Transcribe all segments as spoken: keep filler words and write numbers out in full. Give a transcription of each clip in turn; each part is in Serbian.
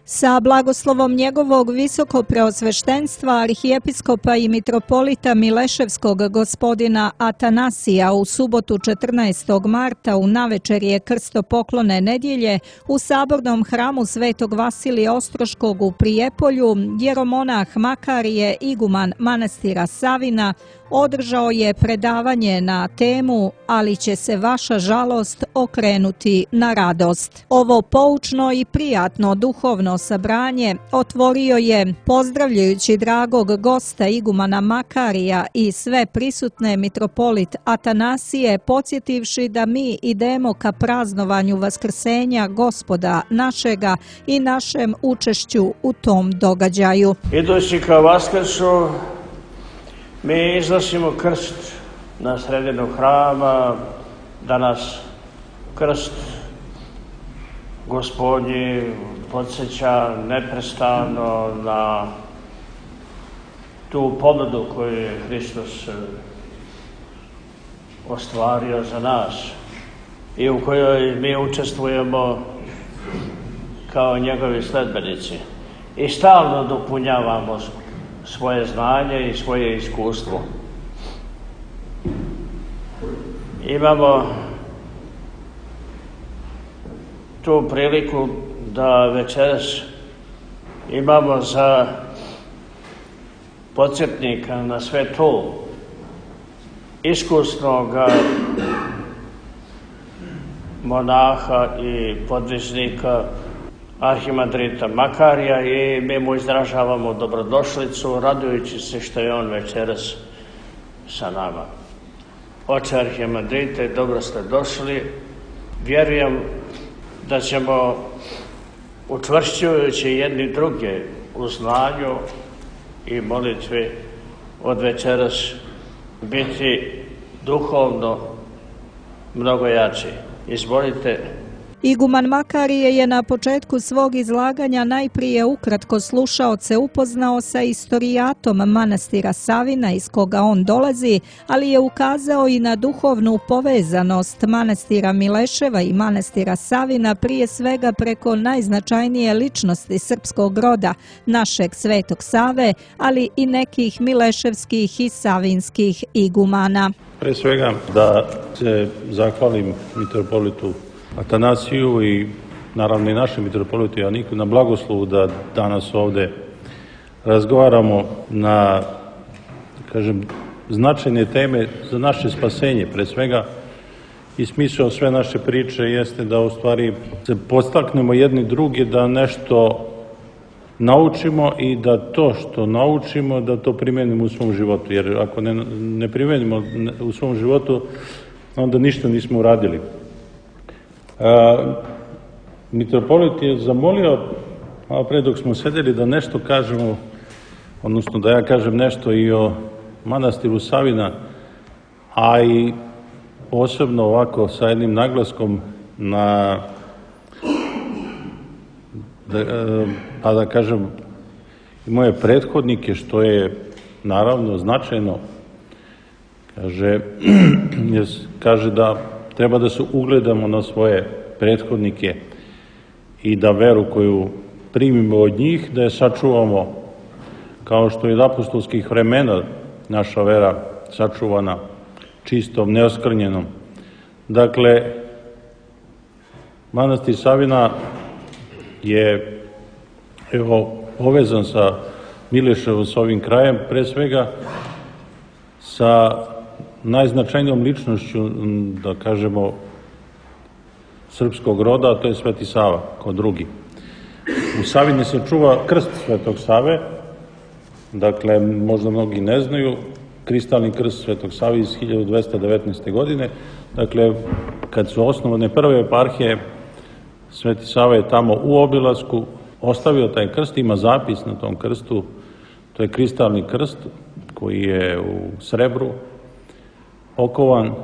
Sa blagoslovom njegovog visokopreosveštenstva arhijepiskopa i mitropolita Mileševskog gospodina Atanasija u subotu četrnaestog marta u navečerje krstopoklone nedjelje u sabornom hramu Svetog Vasilija Ostroškog u Prijepolju jeromonah Makarije, iguman manastira Savina, održao je predavanje na temu "Ali će se vaša žalost okrenuti na radost". Ovo poučno i prijatno duhovno sabranje otvorio je, pozdravljajući dragog gosta igumana Makarija i sve prisutne, mitropolit Atanasije, podsjetivši da mi idemo ka praznovanju vaskrsenja Gospoda našega i našem učešću u tom događaju. Idući ka Vaskrsu, mi iznosimo krst na sredinu hrama, da nas krst Gospodnji podsjeća neprestano na tu pobjedu koju je Hristos ostvario za nas i u kojoj mi učestvujemo kao njegovi sledbenici i stalno dopunjavamo svoje znanje i svoje iskustvo. Imamo tu priliku da večeras imamo za podsjetnika na sve to iskusnog monaha i podvižnika arhimandrita Makarija i mi mu izražavamo dobrodošlicu, radujući se što je on večeras sa nama. Oče arhimandrite, dobro ste došli. Vjerujem da ćemo, učvršćujući jedni druge u znanju i molitvi, od večeras biti duhovno mnogo jači. Izvolite. Iguman Makarije je na početku svog izlaganja najprije ukratko slušaoce upoznao sa istorijatom manastira Savina iz koga on dolazi, ali je ukazao i na duhovnu povezanost manastira Mileševa i manastira Savina, prije svega preko najznačajnije ličnosti srpskog roda, našeg Svetog Save, ali i nekih mileševskih i savinskih igumana. Pre svega da se zahvalim mitropolitu Atanasiju i naravno i našem mitropolitu Joaniku na blagoslovu da danas ovde razgovaramo na, kažem, značajne teme za naše spasenje. Pre svega i smisao sve naše priče jeste da u stvari se podstaknemo jedni drugi da nešto naučimo i da to što naučimo da to primenimo u svom životu, jer ako ne, ne primenimo u svom životu onda ništa nismo uradili. A, mitropolit je zamolio, a pre dok smo sedeli, da nešto kažemo, odnosno da ja kažem nešto i o manastiru Savina, a i posebno ovako sa jednim naglaskom na, da, pa da kažem, i moje prethodnike, što je naravno značajno. Kaže, kaže da treba da se ugledamo na svoje prethodnike i da veru koju primimo od njih, da je sačuvamo kao što je od apostolskih vremena naša vera sačuvana čistom, neoskrnjenom. Dakle, manastir Savina je evo povezan sa Mileševom, sa ovim krajem, pre svega sa najznačajnijom ličnošću, da kažemo, srpskog roda, a to je Sveti Sava, kao drugi. U Savini se čuva krst Svetog Save, dakle, možda mnogi ne znaju, kristalni krst Svetog Save iz hiljadu dvesta devetnaeste. godine, dakle, kad su osnovane prve eparhije, Sveti Sava je tamo u obilasku ostavio taj krst, ima zapis na tom krstu, to je kristalni krst koji je u srebru, okovan,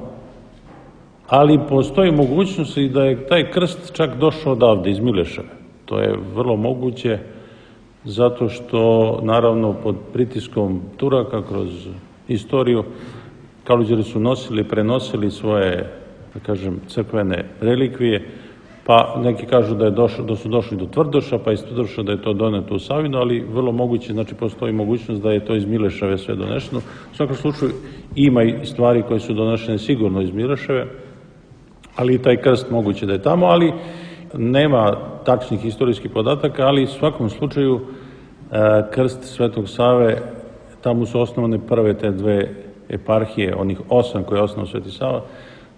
ali postoji mogućnost i da je taj krst čak došao odavde, iz Mileševe. To je vrlo moguće, zato što, naravno, pod pritiskom Turaka kroz istoriju, Kaluđeri su nosili, prenosili svoje, da kažem, crkvene relikvije pa neki kažu da, je došlo, da su došli do Tvrdoša, pa iz Tvrdoša da je to doneto u Savinu, ali vrlo moguće, znači postoji mogućnost da je to iz Mileševe sve donešeno. U svakom slučaju ima i stvari koje su donešene sigurno iz Mileševe, ali i taj krst moguće da je tamo, ali nema tačnih istorijskih podataka, ali u svakom slučaju krst Svetog Save, tamo su osnovane prve te dve eparhije, onih osam koje je osnovao Sveti Sava,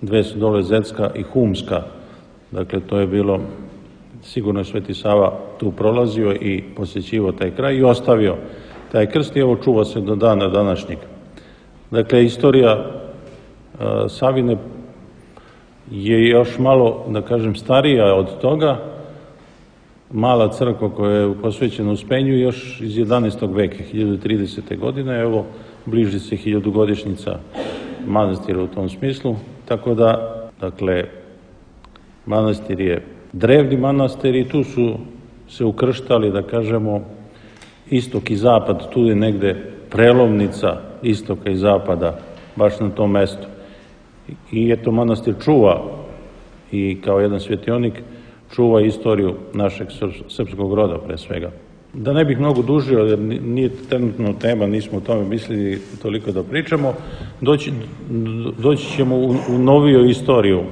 dve su dole Zetska i Humska. Dakle, to je bilo, sigurno je Sveti Sava tu prolazio i posjećivao taj kraj i ostavio taj krst i evo čuva se do dana današnjeg. Dakle, istorija Savine je još malo, da kažem, starija od toga. Mala crkva koja je posvećena Uspenju još iz jedanaestog veka, hiljadu tridesete godine, evo, bliži se hiljadugodišnjica manastira u tom smislu, tako da, dakle, manastir je drevni manastir i tu su se ukrštali, da kažemo, istok i zapad, tu je negde prelovnica istoka i zapada, baš na tom mestu. I eto, manastir čuva i kao jedan svetionik čuva istoriju našeg srpskog roda pre svega. Da ne bih mnogo dužio, jer nije trenutno tema, nismo o tome mislili toliko da pričamo, doći, doći ćemo u, u noviju istoriju.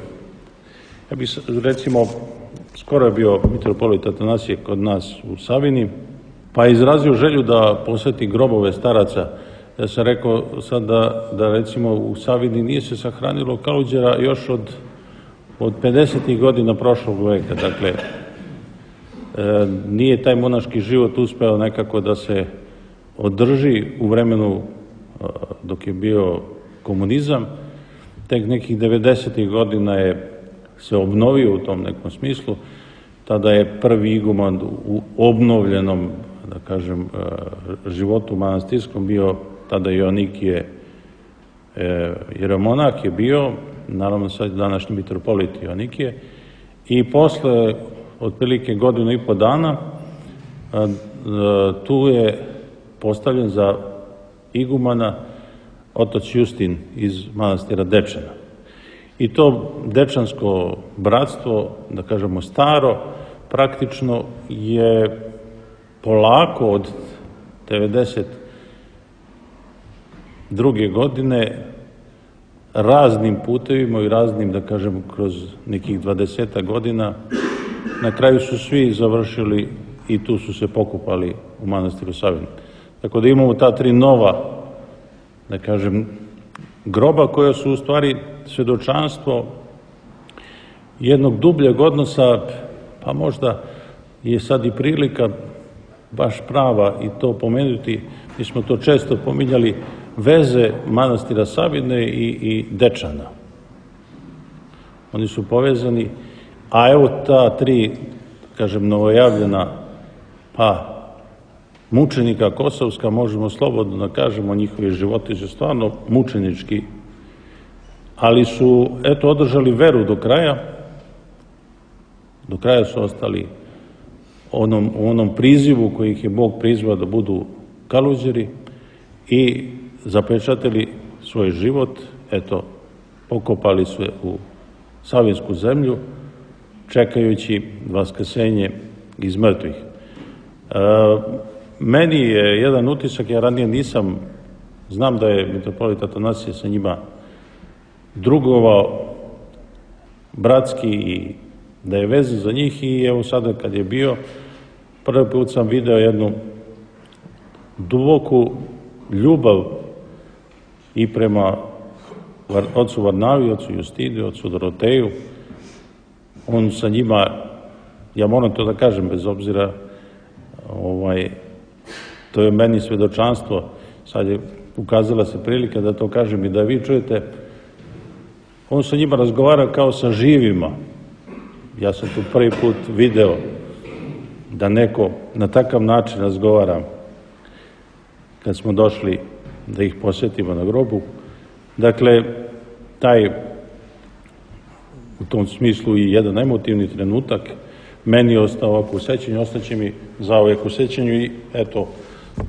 Ja bih, recimo, skoro je bio mitropolit Atanasije kod nas u Savini, pa je izrazio želju da poseti grobove staraca. Ja sam rekao sad da, da recimo u Savini nije se sahranilo Kaluđera još od, od pedesetih godina prošlog veka. Dakle, e, nije taj monaški život uspeo nekako da se održi u vremenu e, dok je bio komunizam. Tek nekih devedesetih godina je se obnovio u tom nekom smislu. Tada je prvi iguman u obnovljenom, da kažem, životu manastirskom bio tada Joannikije jeromonak je bio, naravno sad današnji mitropolit Joannikije, i posle otprilike godinu i po dana tu je postavljen za igumana otac Justin iz manastira Dečana. I to dečansko bratstvo, da kažemo staro, praktično je polako od devedeset druge godine raznim putevima i raznim, da kažem, kroz nekih dvadesetak godina, na kraju su svi završili i tu su se pokupali u manastiru Savinu. Tako da imamo ta tri nova, da kažem, groba koja su u stvari svedočanstvo jednog dubljeg odnosa, pa možda je sad i prilika baš prava i to pomenuti, mi smo to često pominjali, veze manastira Savine i, i Dečana. Oni su povezani, a evo ta tri, kažem, novojavljena, pa mučenika kosovska, možemo slobodno da kažemo, njihovi životi su stvarno mučenički, ali su, eto, održali veru do kraja, do kraja su ostali onom, u onom prizivu koji ih je Bog prizvao da budu Kaluđeri i zapečatili svoj život, eto, pokopali se u savinsku zemlju, čekajući vaskrsenje iz mrtvih. E, meni je jedan utisak, ja ranije nisam, znam da je mitropolit Atanasije sa njima drugovao bratski i da je vezan za njih i evo sada kad je bio, prvi put sam video jednu duboku ljubav i prema ocu Varnavi, ocu Justini, ocu Doroteju. On sa njima, ja moram to da kažem bez obzira, ovaj, to je meni svedočanstvo, sad je ukazala se prilika da to kažem i da vi čujete, on sa njima razgovara kao sa živima. Ja sam tu prvi put video da neko na takav način razgovara kad smo došli da ih posjetimo na grobu. Dakle, taj u tom smislu i jedan emotivni trenutak meni je ostao ovako u sećanju, ostaće mi zauvek u sećanju i eto,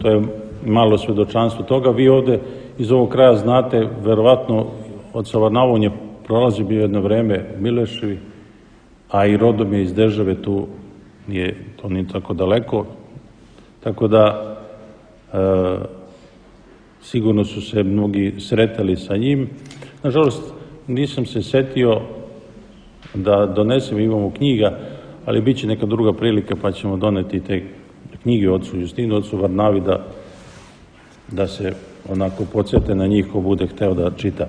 to je malo svedočanstvo toga. Vi ovde iz ovog kraja znate, verovatno od Savarnava on je prolazi bio jedno vreme u Mileševi, a i rodom je iz države, tu je, to nije tako daleko, tako da e, sigurno su se mnogi sretali sa njim. Nažalost, nisam se setio da donesem, imamo knjiga, ali bit će neka druga prilika pa ćemo doneti te knjige ocu Justinu, ocu Varnavi, da, da se onako podsjete na njih ko bude hteo da čita.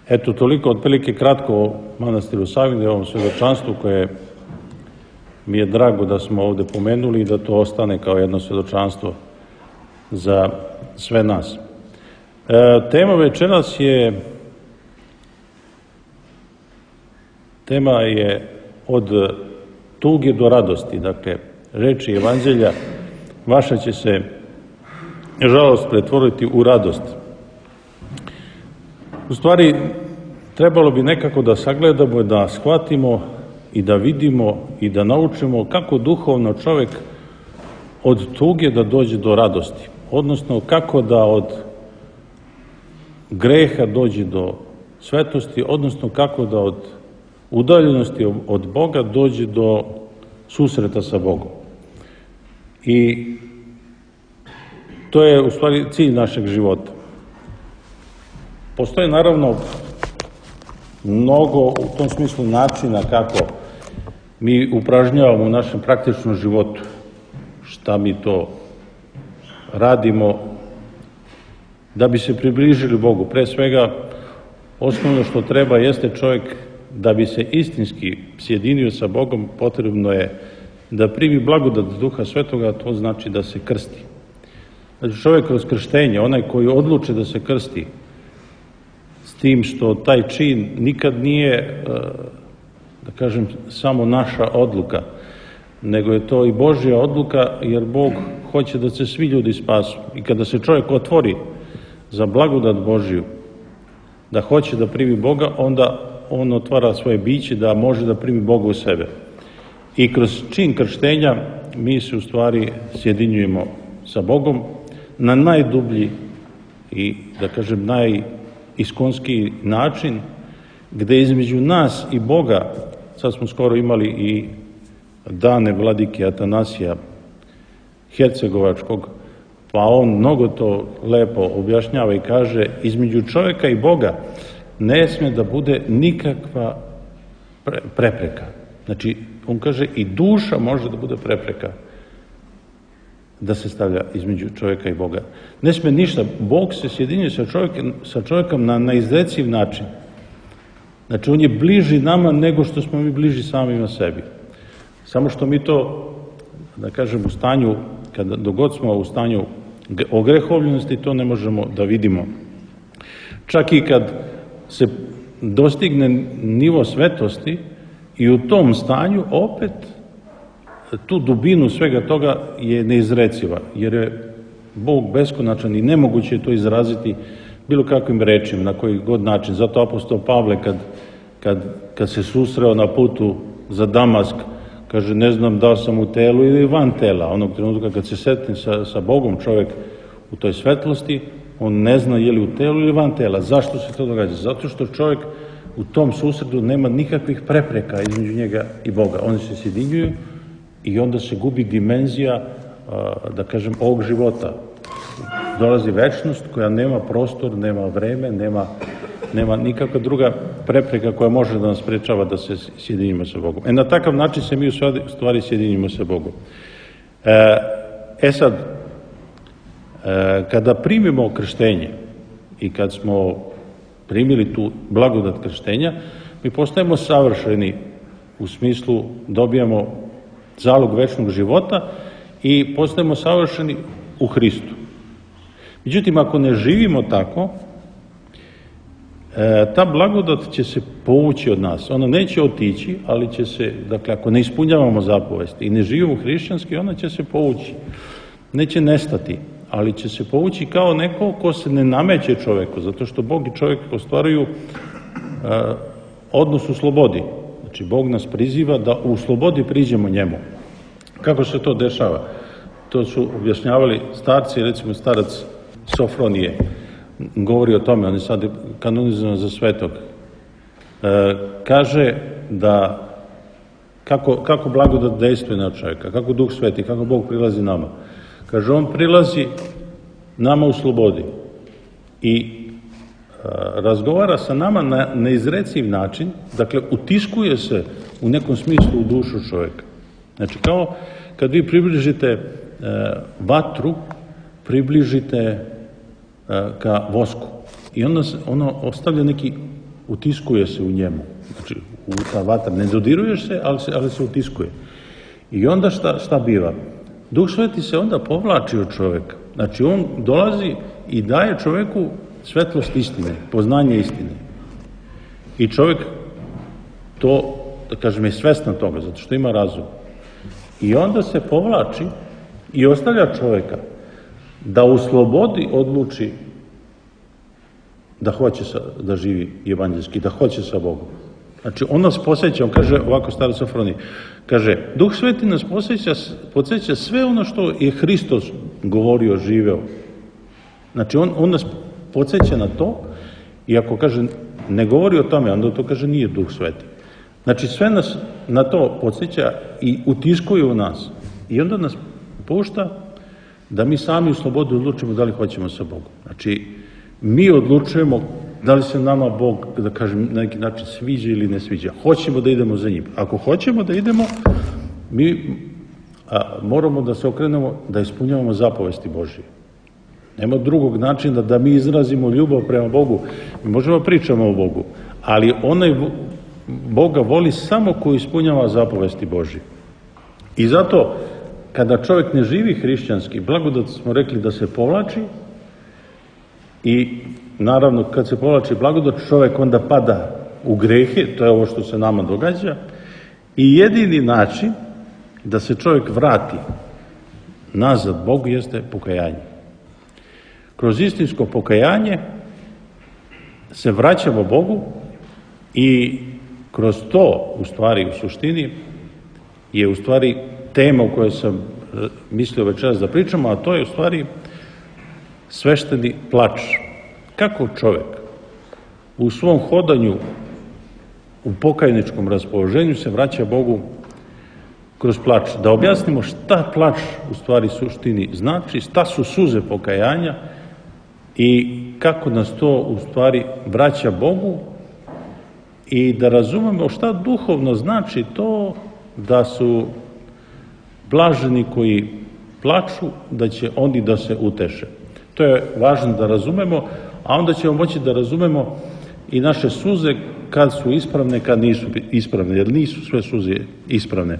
Eto, toliko otprilike kratko o manastiru Savine, ovom svedočanstvu koje mi je drago da smo ovde pomenuli i da to ostane kao jedno svedočanstvo za sve nas. E, tema večeras je tema je od tuge do radosti, dakle, reči evanđelja vaša će se, žalost, pretvoriti u radost. U stvari, trebalo bi nekako da sagledamo, da shvatimo i da vidimo i da naučimo kako duhovno čovek od tuge da dođe do radosti, odnosno kako da od greha dođe do svetosti, odnosno kako da od udaljenosti od Boga dođe do susreta sa Bogom. I to je u stvari cilj našeg života. Postoje naravno mnogo u tom smislu načina kako mi upražnjavamo u našem praktičnom životu, šta mi to radimo da bi se približili Bogu. Pre svega, osnovno što treba jeste čovjek da bi se istinski sjedinio sa Bogom, potrebno je da primi blagodat Duha Svetoga, a to znači da se krsti. Znači čovjek kroz krštenje, onaj koji odluče da se krsti, s tim što taj čin nikad nije, da kažem, samo naša odluka, nego je to i Božja odluka, jer Bog hoće da se svi ljudi spasu. I kada se čovjek otvori za blagodat Božju, da hoće da primi Boga, onda on otvara svoje biće da može da primi Boga u sebe. I kroz čin krštenja mi se u stvari sjedinjujemo sa Bogom na najdublji i, da kažem, najiskonskiji način, gde između nas i Boga, sad smo skoro imali i dane vladike Atanasija Hercegovačkog, pa on mnogo to lepo objašnjava i kaže, između čovjeka i Boga ne sme da bude nikakva prepreka. Znači, on kaže, i duša može da bude prepreka da se stavlja između čovjeka i Boga. Ne sme ništa. Bog se sjedinjuje sa čovjekom, sa čovjekom na neizreciv način. Znači, on je bliži nama nego što smo mi bliži samima sebi. Samo što mi to, da kažem, u stanju, kada dogod smo u stanju ogrehovljenosti, to ne možemo da vidimo. Čak i kad se dostigne nivo svetosti i u tom stanju opet tu dubinu svega toga je neizreciva, jer je Bog beskonačan i nemoguće je to izraziti bilo kakvim rečima, na koji god način. Zato apostol Pavle kad, kad, kad se susreo na putu za Damask, kaže, ne znam da sam u telu ili van tela. Onog trenutka kad se setne sa, sa Bogom čovjek u toj svetlosti, on ne zna je li u telu ili van tela. Zašto se to događa? Zato što čovjek u tom susretu nema nikakvih prepreka između njega i Boga. Oni se sjedinjuju i onda se gubi dimenzija, da kažem, ovog života. Dolazi večnost koja nema prostor, nema vreme, nema, nema nikakva druga prepreka koja može da nas sprečava da se sjedinimo sa Bogom. E, na takav način se mi u stvari sjedinimo sa Bogom. E, e sad, e, kada primimo krštenje i kad smo primili tu blagodat krštenja, mi postajemo savršeni u smislu dobijamo zalog večnog života i postajemo savršeni u Hristu. Međutim, ako ne živimo tako, ta blagodat će se povući od nas. Ona neće otići, ali će se, dakle, ako ne ispunjavamo zapovesti i ne živimo hrišćanski, ona će se povući. Neće nestati, ali će se povući kao neko ko se ne nameće čoveku, zato što Bog i čovjek ostvaruju odnos u slobodi. Znači, Bog nas priziva da u slobodi priđemo njemu. Kako se to dešava? To su objašnjavali starci, recimo starac Sofronije, govori o tome, on je sad kanonizovan za svetog. E, kaže da kako, kako blagodat dejstvuje na čovjeka, kako Duh Sveti, kako Bog prilazi nama. Kaže, on prilazi nama u slobodi i razgovara sa nama na neizreciv način, dakle, utiskuje se u nekom smislu u dušu čovjeka. Znači, kao kad vi približite e, vatru, približite e, ka vosku i onda se, ono ostavlja neki, utiskuje se u njemu. Znači, u ta vatra, ne dodiruješ se, ali se, ali se utiskuje. I onda šta, šta biva? Duh Sveti se onda povlači od čovjeka. Znači, on dolazi i daje čovjeku svetlost istine, poznanje istine. I čovjek to, da kažem, je svestan toga, zato što ima razum. I onda se povlači i ostavlja čovjeka da u slobodi odluči da hoće sa, da živi evanđelski, da hoće sa Bogom. Znači, on nas posjeća, on kaže ovako Staroj Sofroniji, kaže, Duh Sveti nas posjeća, podsjeća sve ono što je Hristos govorio, živeo. Znači, on, on nas podsjeća na to i ako kaže, ne govori o tome, onda to kaže nije Duh Sveti. Znači, sve nas na to podsjeća i utiskuje u nas. I onda nas pušta da mi sami u slobodi odlučimo da li hoćemo sa Bogom. Znači, mi odlučujemo da li se nama Bog, da kažem, na neki način sviđa ili ne sviđa. Hoćemo da idemo za njim. Ako hoćemo da idemo, mi a, moramo da se okrenemo, da ispunjavamo zapovesti Božije. Nema drugog načina da mi izrazimo ljubav prema Bogu. Mi možemo pričamo o Bogu, ali onaj Boga voli samo ko ispunjava zapovesti Božije. I zato, kada čovjek ne živi hrišćanski, blagodat smo rekli da se povlači i naravno kad se povlači blagodat, čovjek onda pada u grehe, to je ovo što se nama događa, i jedini način da se čovjek vrati nazad Bogu jeste pokajanje. Kroz istinsko pokajanje se vraćamo Bogu i kroz to, u stvari, u suštini, je u stvari tema o kojoj sam mislio večeras da pričamo, a to je u stvari svešteni plač. Kako čovjek u svom hodanju u pokajničkom raspoloženju se vraća Bogu kroz plač. Da objasnimo šta plač u stvari suštini znači, šta su suze pokajanja i kako nas to u stvari vraća Bogu i da razumemo šta duhovno znači to da su blaženi koji plaču, da će oni da se uteše. To je važno da razumemo, a onda ćemo moći da razumemo i naše suze kad su ispravne, kad nisu ispravne, jer nisu sve suze ispravne.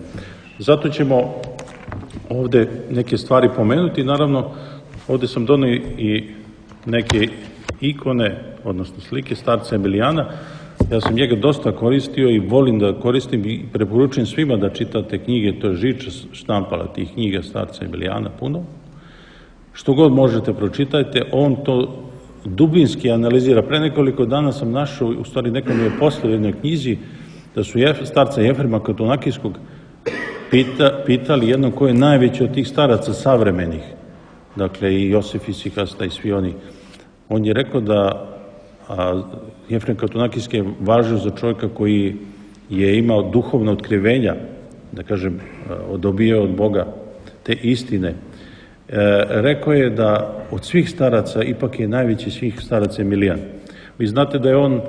Zato ćemo ovde neke stvari pomenuti. Naravno, ovde sam donio i neke ikone, odnosno slike starca Emilijana. Ja sam njega dosta koristio i volim da koristim i preporučujem svima da čitate knjige, to je Žiča štampala tih knjiga starca Emilijana puno. Što god možete pročitajte, on to dubinski analizira. Pre nekoliko dana sam našao, u stvari neko mi je poslao u jednoj knjizi, da su starca Jefrema Katonakijskog pita, pitali jednom ko je najveći od tih staraca savremenih, dakle i Josif Isikasta i svi oni. On je rekao da a, Jefrem Katonakijski je važio za čovjeka koji je imao duhovna otkrivenja, da kažem, dobio od Boga te istine. E, rekao je da od svih staraca ipak je najveći svih staraca Emilijan. Vi znate da je on e,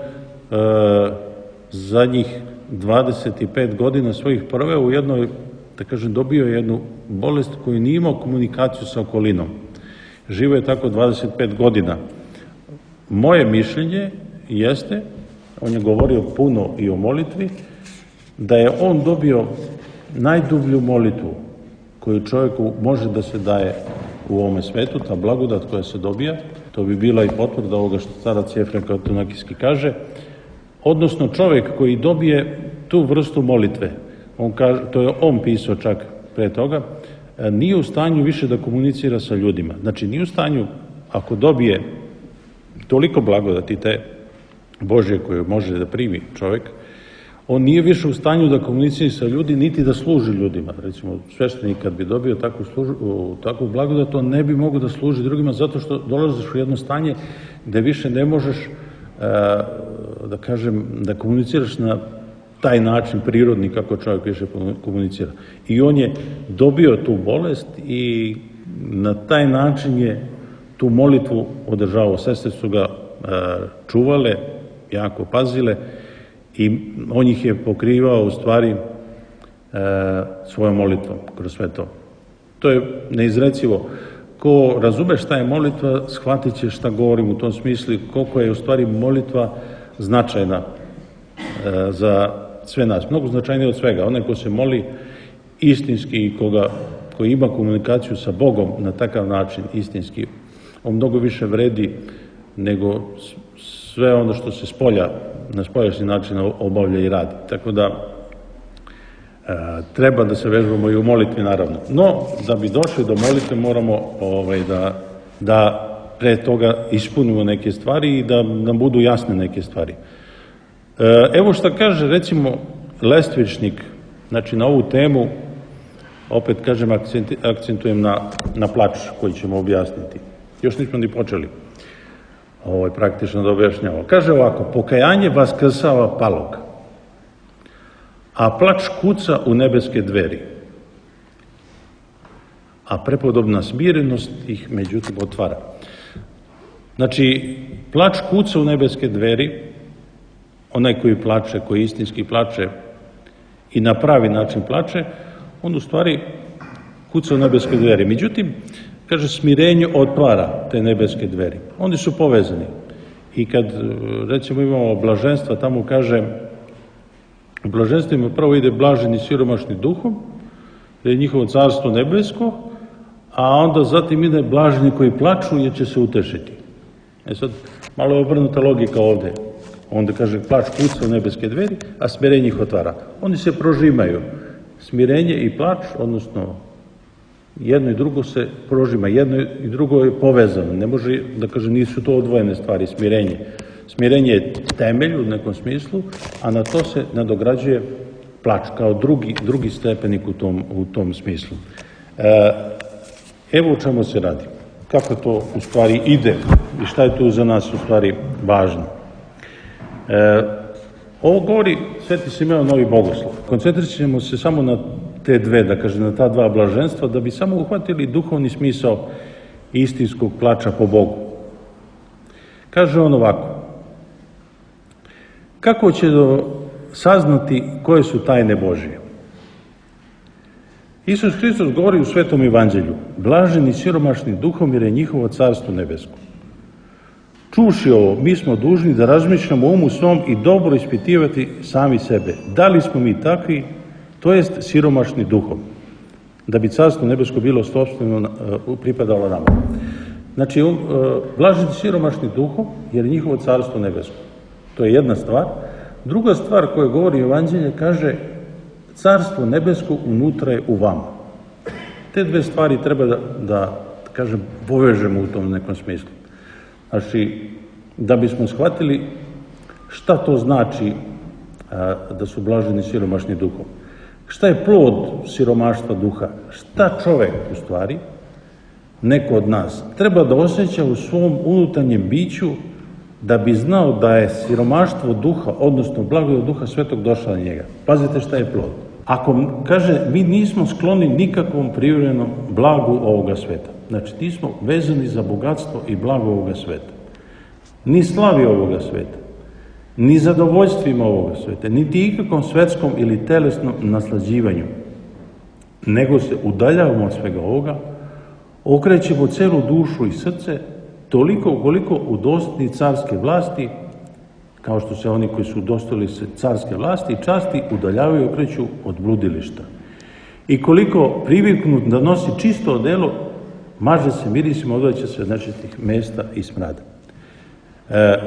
zadnjih dvadeset pet godina svojih proveo u jednoj, da kažem, dobio je jednu bolest koju nije imao komunikaciju sa okolinom. Živo je tako dvadeset pet godina. Moje mišljenje jeste, on je govorio puno i o molitvi, da je on dobio najdublju molitvu koju čovjeku može da se daje u ovome svetu, ta blagodat koja se dobija, to bi bila i potvrda ovoga što starac Jefrem Katonakijski kaže, odnosno čovjek koji dobije tu vrstu molitve, on kaže, to je on pisao čak pre toga, nije u stanju više da komunicira sa ljudima. Znači, nije u stanju, ako dobije toliko blagodati te Božje koje može da primi čovjek, on nije više u stanju da komunicira sa ljudi, niti da služi ljudima. Recimo, sveštenik kad bi dobio takvu, služu, takvu blagodat, on ne bi mogao da služi drugima zato što dolaziš u jedno stanje gde više ne možeš, da kažem, da komuniciraš na taj način prirodni kako čovjek više komunicira. I on je dobio tu bolest i na taj način je tu molitvu održavao. Sestre su ga čuvale, jako pazile i on ih je pokrivao u stvari svojom molitvom kroz sve to. To je neizrecivo. Ko razume šta je molitva, shvatit će šta govorim u tom smislu, koliko je u stvari molitva značajna za sve nas. Mnogo značajnije od svega. Onaj ko se moli istinski i koga, koji ima komunikaciju sa Bogom na takav način istinski, on mnogo više vredi nego sve ono što se spolja, na spoljašnji način obavlja i radi. Tako da e, treba da se vežbamo i u molitvi naravno. No, da bi došli do molitve moramo ovaj, da, da pre toga ispunimo neke stvari i da nam budu jasne neke stvari. E, evo šta kaže recimo Lestvičnik, znači na ovu temu, opet kažem akcentujem na, na plač koji ćemo objasniti. Još nismo ni počeli ovo je praktično da objašnjava. Kaže ovako, pokajanje vaskrsava palog, a plač kuca u nebeske dveri, a prepodobna smirenost ih međutim otvara. Znači, plač kuca u nebeske dveri, onaj koji plače, koji istinski plače i na pravi način plače, on u stvari kuca u nebeske dveri. Međutim, kaže, smirenje otvara te nebeske dveri. Oni su povezani. I kad, recimo, imamo blaženstva, tamo kaže, u blaženstvima prvo ide blaženi siromašni duhom, da je njihovo carstvo nebesko, a onda zatim ide blaženi koji plaču jer će se utešiti. E sad, malo je obrnuta logika ovde. Onda kaže, plač kuca u nebeske dveri, a smirenje ih otvara. Oni se prožimaju. Smirenje i plač, odnosno jedno i drugo se prožima, jedno i drugo je povezano. Ne može da kaže nisu to odvojene stvari, smirenje. Smirenje je temelj u nekom smislu, a na to se nadograđuje plač kao drugi, drugi stepenik u tom, u tom smislu. E, evo o čemu se radi. Kako to u stvari ide i šta je tu za nas u stvari važno. E, ovo govori Sveti Simeon Novi Bogoslov. Koncentrirat ćemo se samo na te dve, da kažem, na ta dva blaženstva, da bi samo uhvatili duhovni smisao istinskog plača po Bogu. Kaže on ovako, kako će saznati koje su tajne Božije? Isus Hristos govori u Svetom Evanđelju, blaženi siromašni duhom jer je njihovo carstvo nebesko. Čuši ovo, mi smo dužni da razmišljamo umu svom i dobro ispitivati sami sebe. Da li smo mi takvi, to jest siromašni duhom, da bi carstvo nebesko bilo sopstveno pripadalo nama. Znači, on, blaženi siromašni duhom jer je njihovo carstvo nebesko. To je jedna stvar. Druga stvar koju govori Evanđelje kaže carstvo nebesko unutra je u vama. Te dve stvari treba da, da kažem, povežemo u tom nekom smislu. Znači, da bismo shvatili šta to znači a, da su blaženi siromašni duhom. Šta je plod siromaštva duha? Šta čovek, u stvari, neko od nas, treba da osjeća u svom unutarnjem biću da bi znao da je siromaštvo duha, odnosno blagodat duha svetog došla na njega. Pazite šta je plod. Ako kaže, mi nismo skloni nikakvom privremenom blagu ovoga sveta. Znači, nismo vezani za bogatstvo i blago ovoga sveta. Ni slavi ovoga sveta, ni zadovoljstvima ovoga sveta, niti ikakvom svetskom ili telesnom naslađivanju. Nego se udaljavamo od svega ovoga, okrećemo celu dušu i srce, toliko koliko udostojni carske vlasti, kao što se oni koji su udostojili se carske vlasti i časti udaljavaju i okreću od bludilišta. I koliko priviknut da nosi čisto odelo, maže se mirisima, odvraća se od nečistih mesta i smrada. E,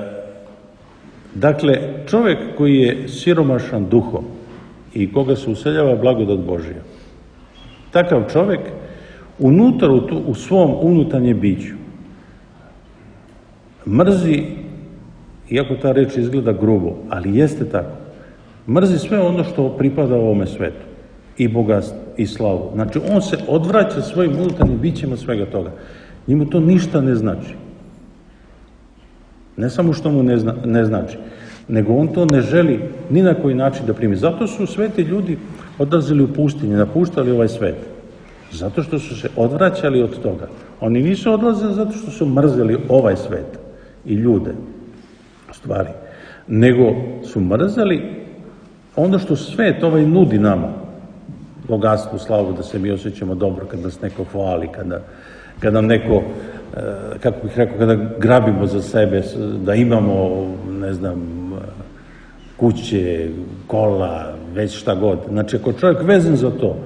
dakle, čovjek koji je siromašan duhom i koga se useljava blagodat Božija, takav čovjek unutar u, tu, u svom unutarnjem biću mrzi, iako ta reč izgleda grubo, ali jeste tako, mrzi sve ono što pripada ovome svetu, i bogatstvo, i slavu. Znači, on se odvraća svojim unutarnjim bićima od svega toga. Njemu to ništa ne znači. Ne samo što mu ne, zna, ne znači, nego on to ne želi ni na koji način da primi. Zato su sveti ljudi odlazili u pustinje, napuštali ovaj svet. Zato što su se odvraćali od toga. Oni nisu odlazili zato što su mrzeli ovaj svet i ljude, stvari, nego su mrzeli ono što svet ovaj nudi nama. Bogatstvo, slavu, da se mi osjećamo dobro kad nas neko hvali, kada, kada nam neko, kako bih rekao, kada grabimo za sebe, da imamo, ne znam, kuće, kola, već šta god. Znači, ako čovjek vezan za to,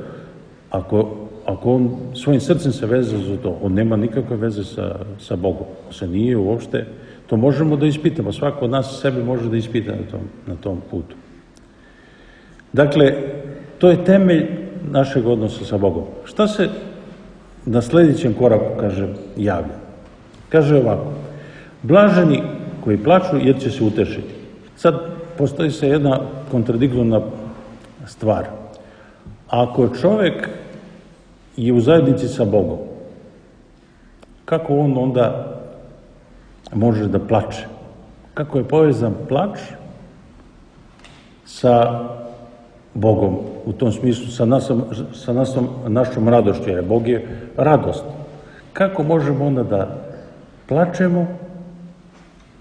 ako, ako on svojim srcem se veze za to, on nema nikakve veze sa, sa Bogom. On se nije uopšte, to možemo da ispitamo. Svako od nas sebe može da ispita na tom, na tom putu. Dakle, to je temelj našeg odnosa sa Bogom. Šta se na sljedećem koraku, kaže, javlja? Kaže ovako, blaženi koji plaču jer će se utešiti. Sad postoji se jedna kontradiktorna stvar. Ako čovjek je u zajednici sa Bogom, kako on onda može da plače? Kako je povezan plač sa Bogom, u tom smislu sa, nasom, sa nasom, našom radošću, jer Bog je radost. Kako možemo onda da plačemo,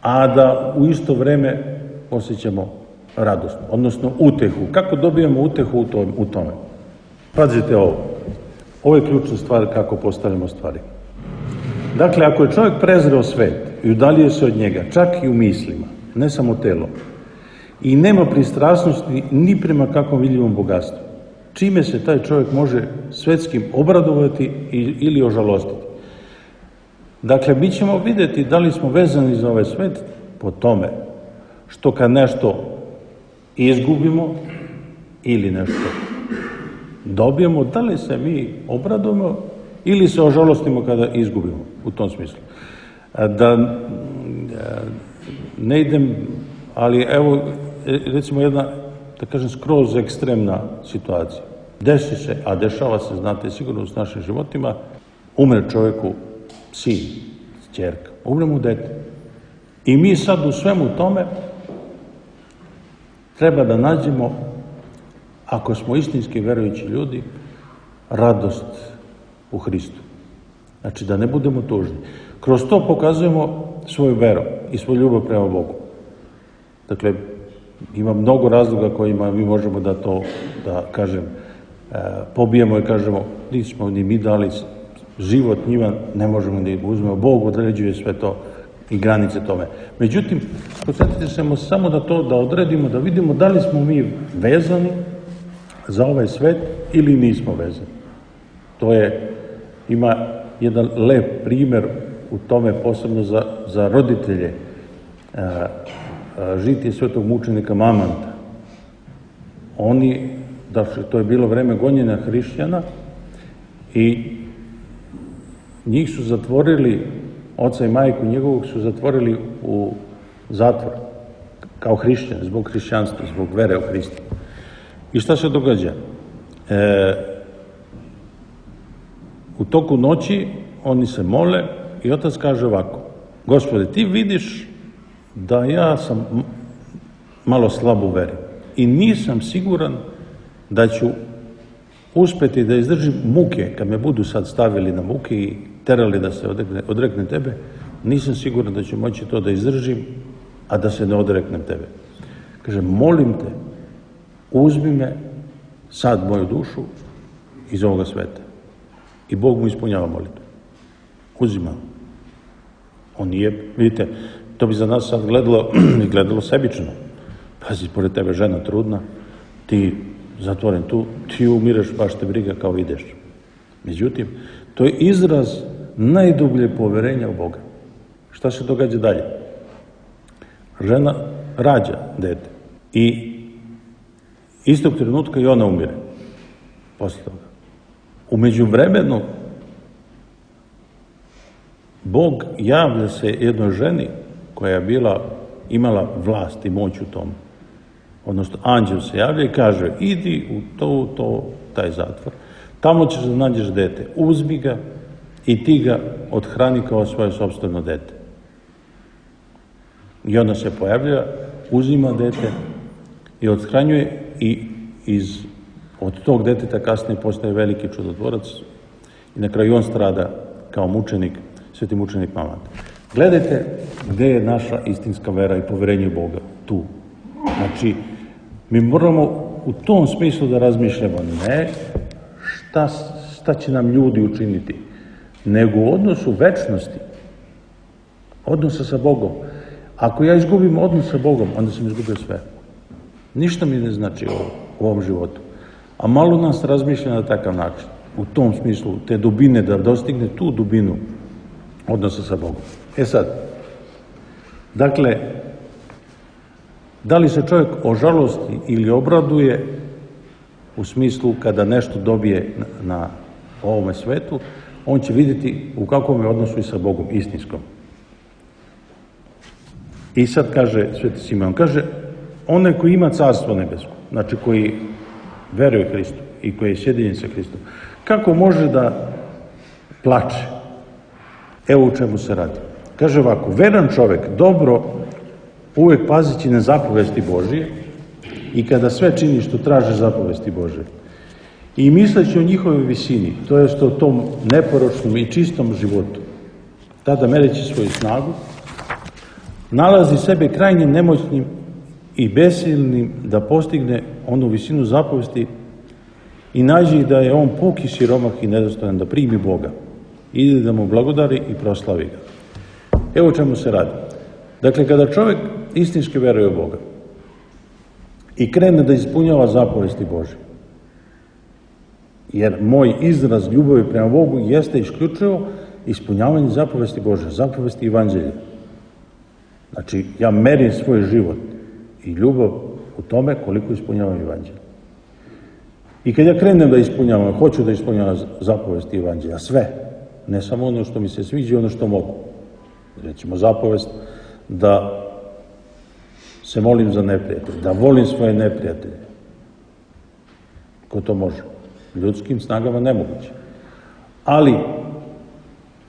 a da u isto vreme osjećamo radost, odnosno utehu? Kako dobijamo utehu u, tom, u tome? Pazite ovo. Ovo je ključna stvar kako postavljamo stvari. Dakle, ako je čovjek prezreo svet i udaljio se od njega, čak i u mislima, ne samo telo, i nema pristrasnosti ni prema kakvom vidljivom bogatstvu, čime se taj čovjek može svetskim obradovati ili ožalostiti? Dakle, mi ćemo vidjeti da li smo vezani za ovaj svet po tome što kad nešto izgubimo ili nešto dobijemo, da li se mi obradujemo ili se ožalostimo kada izgubimo, u tom smislu. Da ne idem, ali evo, recimo jedna, da kažem, skroz ekstremna situacija. Desi se, a dešava se, znate, sigurno s našim životima, umre čovjeku sin, ćerka, umre mu dete. I mi sad u svemu tome treba da nađemo, ako smo istinski verujući ljudi, radost u Hristu. Znači, da ne budemo tužni. Kroz to pokazujemo svoju veru i svoju ljubav prema Bogu. Dakle, ima mnogo razloga kojima mi možemo da to, da kažem, pobijemo i kažemo, nismo ni mi dali život njima, ne možemo da uzmemo. Bog određuje sve to i granice tome. Međutim, posjetite se samo da to da odredimo, da vidimo da li smo mi vezani za ovaj svet ili nismo vezani. To je, ima jedan lep primjer u tome, posebno za, za roditelje, a, a, žitije svetog mučenika Mamanta. Oni, dakle, to je bilo vreme gonjenja hrišćana i njih su zatvorili, oca i majku njegovog su zatvorili u zatvor kao hrišćan, zbog hrišćanstva, zbog vere u Hrista. I šta se događa? E, u toku noći oni se mole i otac kaže ovako: Gospode, ti vidiš da ja sam malo slab u veri i nisam siguran da ću uspeti da izdržim muke, kad me budu sad stavili na muke i terali da se odrekne, odreknem tebe, nisam siguran da ću moći to da izdržim, a da se ne odreknem tebe. Kaže, molim te, uzmi me sad moju dušu iz ovoga sveta. I Bog mu ispunjava molitvu. Uzima. On nije, vidite, to bi za nas sad gledalo, gledalo sebično. Pazi, pored tebe žena trudna, ti zatvoren tu, ti umireš, baš te briga kao ideš. Međutim, to je izraz najdublje poverenja u Boga. Šta se događa dalje? Žena rađa dete i istog trenutka i ona umire. Posle toga. U međuvremenu Bog javlja se jednoj ženi koja je bila, imala vlast i moć u tom. Odnosno, anđel se javlja i kaže, idi u to, to, taj zatvor, tamo ćeš da nađeš dete, uzmi ga i ti ga odhrani kao svoje sopstveno dete. I onda se pojavlja, uzima dete i othranjuje i iz, od tog deteta kasnije postaje veliki čudotvorac i na kraju on strada kao mučenik, sveti mučenik Mamat. Gledajte gde je naša istinska vera i poverenje u Boga. Tu. Znači, mi moramo u tom smislu da razmišljamo ne šta, šta će nam ljudi učiniti, nego u odnosu večnosti, odnosa sa Bogom. Ako ja izgubim odnos sa Bogom, onda sam izgubio sve. Ništa mi ne znači ovo, u ovom životu. A malo nas razmišlja na takav način, u tom smislu, te dubine, da dostigne tu dubinu odnosa sa Bogom. E sad, dakle, da li se čovjek ožalosti ili obraduje u smislu kada nešto dobije na, na ovome svetu, on će vidjeti u kakvom je odnosu i sa Bogom, istinskom. I sad kaže sveti Simeon, kaže, onaj koji ima carstvo nebesko, znači koji veruje Hristu i koji je sjedinjen sa Hristom, kako može da plače? Evo u čemu se radi. Kaže ovako, veran čovjek dobro uvek pazići na zapovesti Božije i kada sve čini što traže zapovesti Božije i misleći o njihovoj visini, to jest o tom neporočnom i čistom životu, tada mereći svoju snagu, nalazi sebe krajnje nemoćnim i besilnim da postigne onu visinu zapovesti i nađe da je on puki siromah i nedostojan da primi Boga. Ide da mu blagodari i proslavi ga. Evo o čemu se radi. Dakle, kada čovjek istinski veruje u Boga i krene da ispunjava zapovesti Božje, jer moj izraz ljubavi prema Bogu jeste isključivo ispunjavanje zapovesti Božje, zapovesti Evanđelja. Znači, ja merim svoj život i ljubav u tome koliko ispunjavam Evanđelje. I kad ja krenem da ispunjavam, hoću da ispunjavam zapovesti Evanđelja, sve, ne samo ono što mi se sviđa, ono što mogu. Recimo, zapovest da se molim za neprijatelje, da volim svoje neprijatelje. Ko to može? Ljudskim snagama nemoguće. Ali,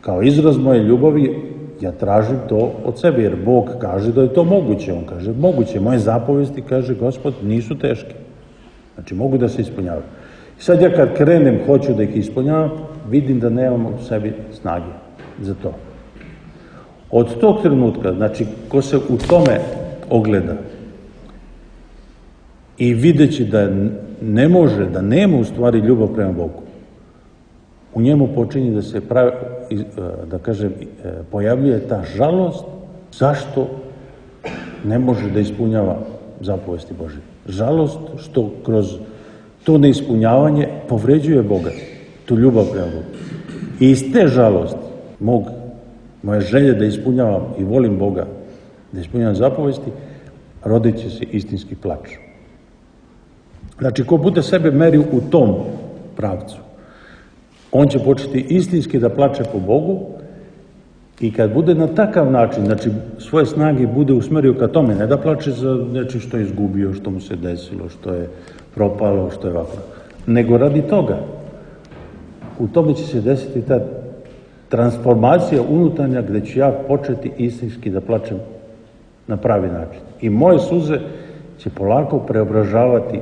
kao izraz moje ljubavi, ja tražim to od sebe, jer Bog kaže da je to moguće. On kaže, moguće. Moje zapovesti, kaže Gospod, nisu teške. Znači, mogu da se ispunjavaju. I sad ja kad krenem, hoću da ih ispunjavam, vidim da nemam u sebi snage za to. Od tog trenutka, znači, ko se u tome ogleda i videći da ne može, da nema u stvari ljubav prema Bogu, u njemu počinje da se pravi, da kažem, pojavljuje ta žalost zašto ne može da ispunjava zapovesti Božje. Žalost što kroz to neispunjavanje povređuje Boga, tu ljubav prema Bogu. I iz te žalosti mog, moje želje da ispunjavam i volim Boga, da ispunjavam zapovesti, rodit će se istinski plač. Znači, ko bude sebe merio u tom pravcu, on će početi istinski da plače po Bogu i kad bude na takav način, znači svoje snage bude usmerio ka tome, ne da plače za nečim što je izgubio, što mu se desilo, što je propalo, što je ovako, nego radi toga. U tome će se desiti ta transformacija unutarnja gde ću ja početi istinski da plačem na pravi način. I moje suze će polako preobražavati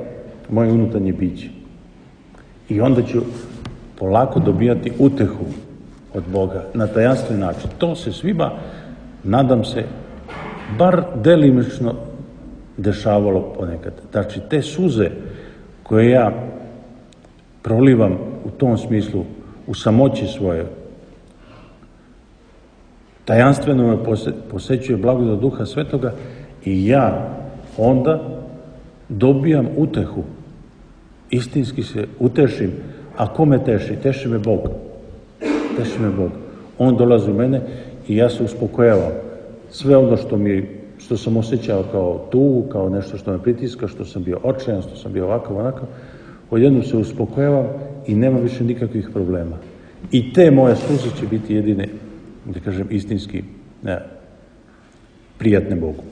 moje unutarnje biće. I onda ću polako dobijati utehu od Boga na tajanstven način. To se svima, nadam se, bar delimično dešavalo ponekad. Znači, te suze koje ja prolivam u tom smislu, u samoći svoje, tajanstveno me posećuje blagodat Duha Svetoga i ja onda dobijam utehu. Istinski se utešim. A ko me teši? Teši me Bog. Teši me Bog. On dolazi u mene i ja se uspokojavam. Sve ono što mi, što sam osjećao kao tugu, kao nešto što me pritiska, što sam bio očajan, što sam bio ovakav, onakav, odjednom se uspokojavam i nema više nikakvih problema. I te moje suze će biti jedine, da kažem, istinski ne, prijatne Bogu.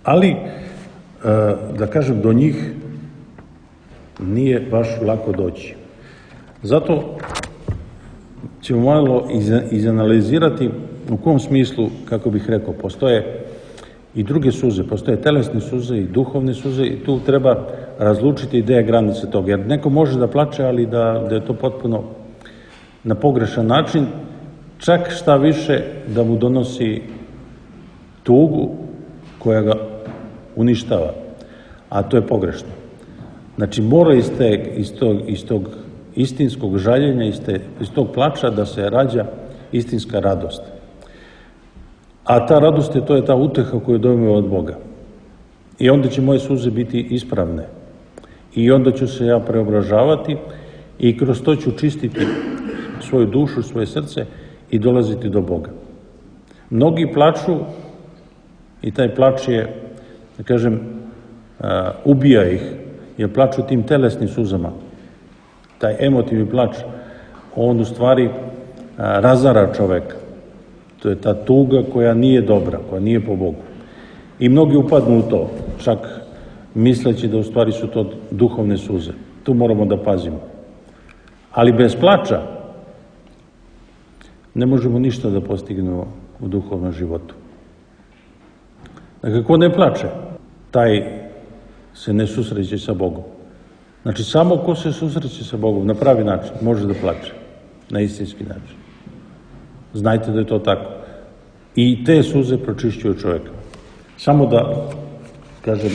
Ali, da kažem, do njih nije baš lako doći. Zato ćemo malo izanalizirati u kom smislu, kako bih rekao, postoje i druge suze. Postoje telesne suze i duhovne suze i tu treba razlučiti ideje granice toga. Jer neko može da plače, ali da, da je to potpuno na pogrešan način, čak šta više da mu donosi tugu koja ga uništava, a to je pogrešno. Znači, mora iz, te, iz, tog, iz tog istinskog žaljenja, iz, te, iz tog plača da se rađa istinska radost. A ta radost je, to je ta uteha koju dobijemo od Boga. I onda će moje suze biti ispravne. I onda ću se ja preobražavati i kroz to ću čistiti svoju dušu, svoje srce i dolaziti do Boga. Mnogi plaču i taj plač je, da kažem, ubija ih, jer plaču tim telesnim suzama. Taj emotivni plač, on u stvari razara čoveka. To je ta tuga koja nije dobra, koja nije po Bogu. I mnogi upadnu u to, čak misleći da u stvari su to duhovne suze. Tu moramo da pazimo. Ali bez plača ne možemo ništa da postignemo u duhovnom životu. Dakle, ko ne plače, taj se ne susreće sa Bogom. Znači, samo ko se susreće sa Bogom na pravi način može da plače, na istinski način. Znajte da je to tako. I te suze pročišćuju čovjeka. Samo da, kažem,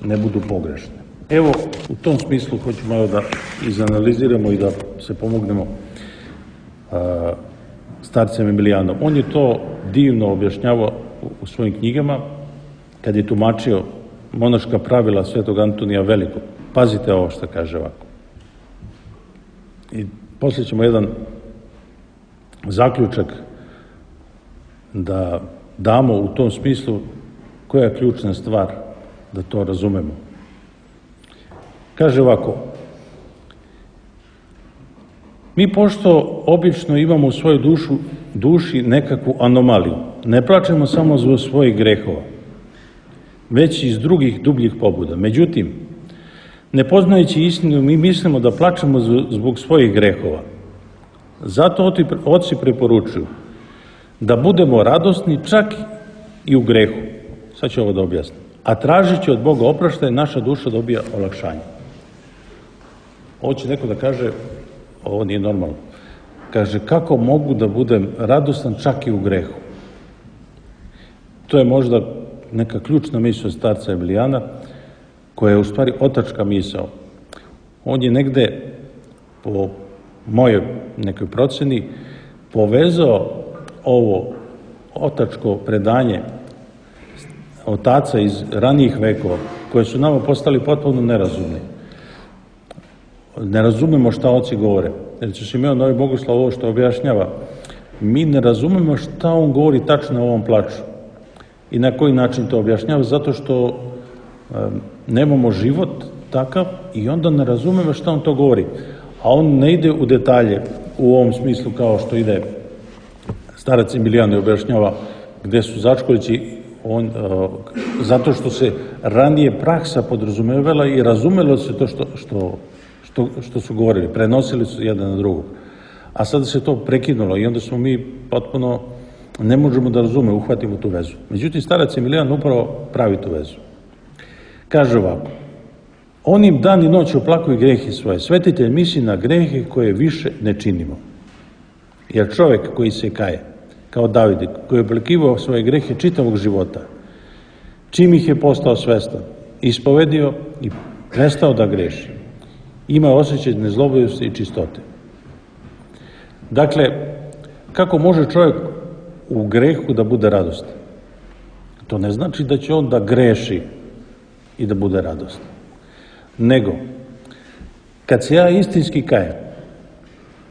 ne budu pogrešne. Evo, u tom smislu hoću malo da izanaliziramo i da se pomognemo a, starcem Emilijanom. On je to divno objašnjavao u svojim knjigama kad je tumačio monaška pravila svetog Antonija Velikog. Pazite ovo što kaže ovako. I poslije ćemo jedan zaključak da damo u tom smislu koja je ključna stvar da to razumemo. Kaže ovako, mi pošto obično imamo u svojoj dušu, duši nekakvu anomaliju, ne plačemo samo zbog svojih grehova, već i iz drugih dubljih pobuda. Međutim, ne poznajući istinu, mi mislimo da plačemo zbog svojih grehova. Zato oci preporučuju da budemo radosni čak i u grehu. Sad ću ovo da objasnim. A tražeći od Boga opraštaj, naša duša dobija olakšanje. Ovo će neko da kaže, ovo nije normalno. Kaže, kako mogu da budem radostan čak i u grehu? To je možda neka ključna misao starca Emilijana, koja je u stvari otačka misao. On je negde, po mojoj nekoj proceni, povezao ovo otačko predanje otaca iz ranijih vekova, koje su nama postali potpuno nerazumni. Ne razumemo šta oci govore. Jer će Simeon Novi Bogoslav ovo što objašnjava. Mi ne razumemo šta on govori tačno o ovom plaču. I na koji način to objašnjava? Zato što um, nemamo život takav i onda ne razumemo šta on to govori. A on ne ide u detalje u ovom smislu kao što ide starac Emilijan i objašnjava gde su začkoljići, on, uh, zato što se ranije praksa podrazumevala i razumelo se to što, što, što, što su govorili, prenosili su jedan na drugog. A sada se to prekinulo i onda smo mi potpuno, ne možemo da razume, uhvatimo tu vezu. Međutim, starac Emilijan upravo pravi tu vezu. Kaže ovako, onim dan i noć oplakuju grehe svoje. Svetitelj misli na grehe koje više ne činimo. Jer čovjek koji se kaje, kao David, koji je oplakivao svoje grehe čitavog života, čim ih je postao svestan, ispovedio i prestao da greši, ima osjećaj nezlobodosti i čistote. Dakle, kako može čovjek u grehu da bude radostan? To ne znači da će on da greši i da bude radostan. Nego, kad se ja istinski kajem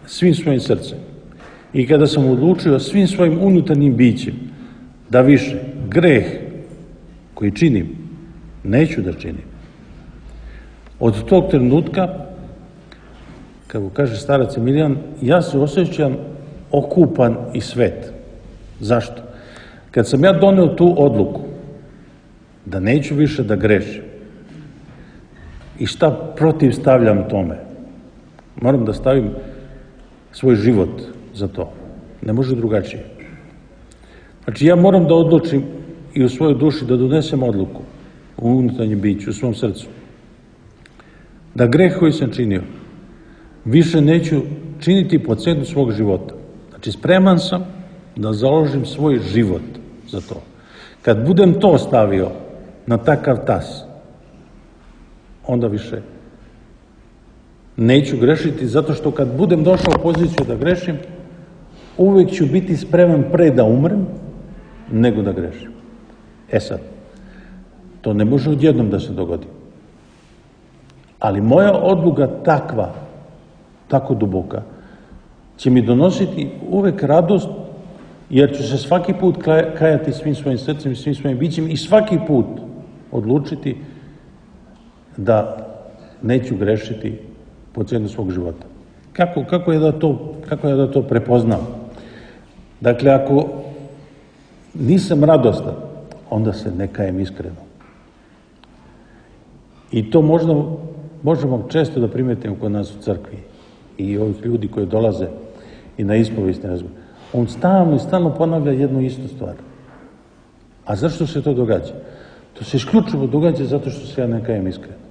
svim svojim srcem i kada sam odlučio svim svojim unutarnjim bićem da više greh koji činim neću da činim, od tog trenutka, kako kaže starac Emilijan, ja se osjećam okupan i svet. Zašto? Kad sam ja doneo tu odluku da neću više da grešim i šta protiv stavljam tome, moram da stavim svoj život za to. Ne može drugačije. Znači, ja moram da odlučim i u svojoj duši da donesem odluku u unutarnjem biću, u svom srcu, da greh koji sam činio više neću činiti po cenu svog života. Znači, spreman sam da založim svoj život za to. Kad budem to stavio na takav tas, onda više neću grešiti, zato što kad budem došao u poziciju da grešim, uvijek ću biti spreman pre da umrem, nego da grešim. E sad, to ne može odjednom da se dogodi. Ali moja odluka takva, tako duboka, će mi donositi uvek radost, jer ću se svaki put kajati svim svojim srcem i svim svojim bićem i svaki put odlučiti da neću grešiti po cenu svog života. Kako, kako, je da to, kako je da to prepoznam? Dakle, ako nisam radostan, onda se ne kajem iskreno. I to možda, možemo često da primetimo kod nas u crkvi i ovih ljudi koji dolaze i na ispovesti razgovor. On stalno i stalno ponavlja jednu istu stvar. A zašto se to događa? To se isključivo događa zato što se ja ne kajem iskreno.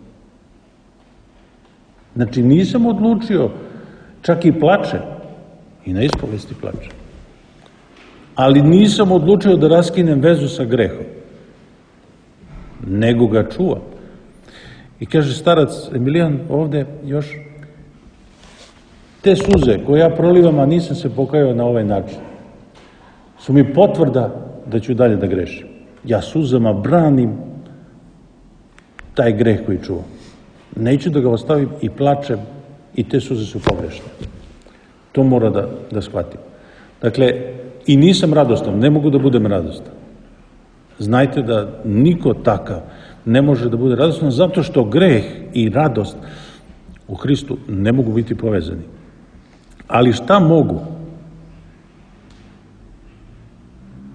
Znači, nisam odlučio, čak i plačem, i na ispovesti plačem, ali nisam odlučio da raskinem vezu sa grehom, nego ga čuvam. I kaže starac Emilijan ovde još, te suze koje ja prolivam, a nisam se pokajao na ovaj način, su mi potvrda da ću dalje da grešim. Ja suzama branim taj greh koji čuvam. Neću da ga ostavim i plačem i te suze su pogrešne. To mora da, da shvatim. Dakle, i nisam radostan, ne mogu da budem radostan. Znajte da niko takav ne može da bude radostan, zato što greh i radost u Hristu ne mogu biti povezani. Ali šta mogu?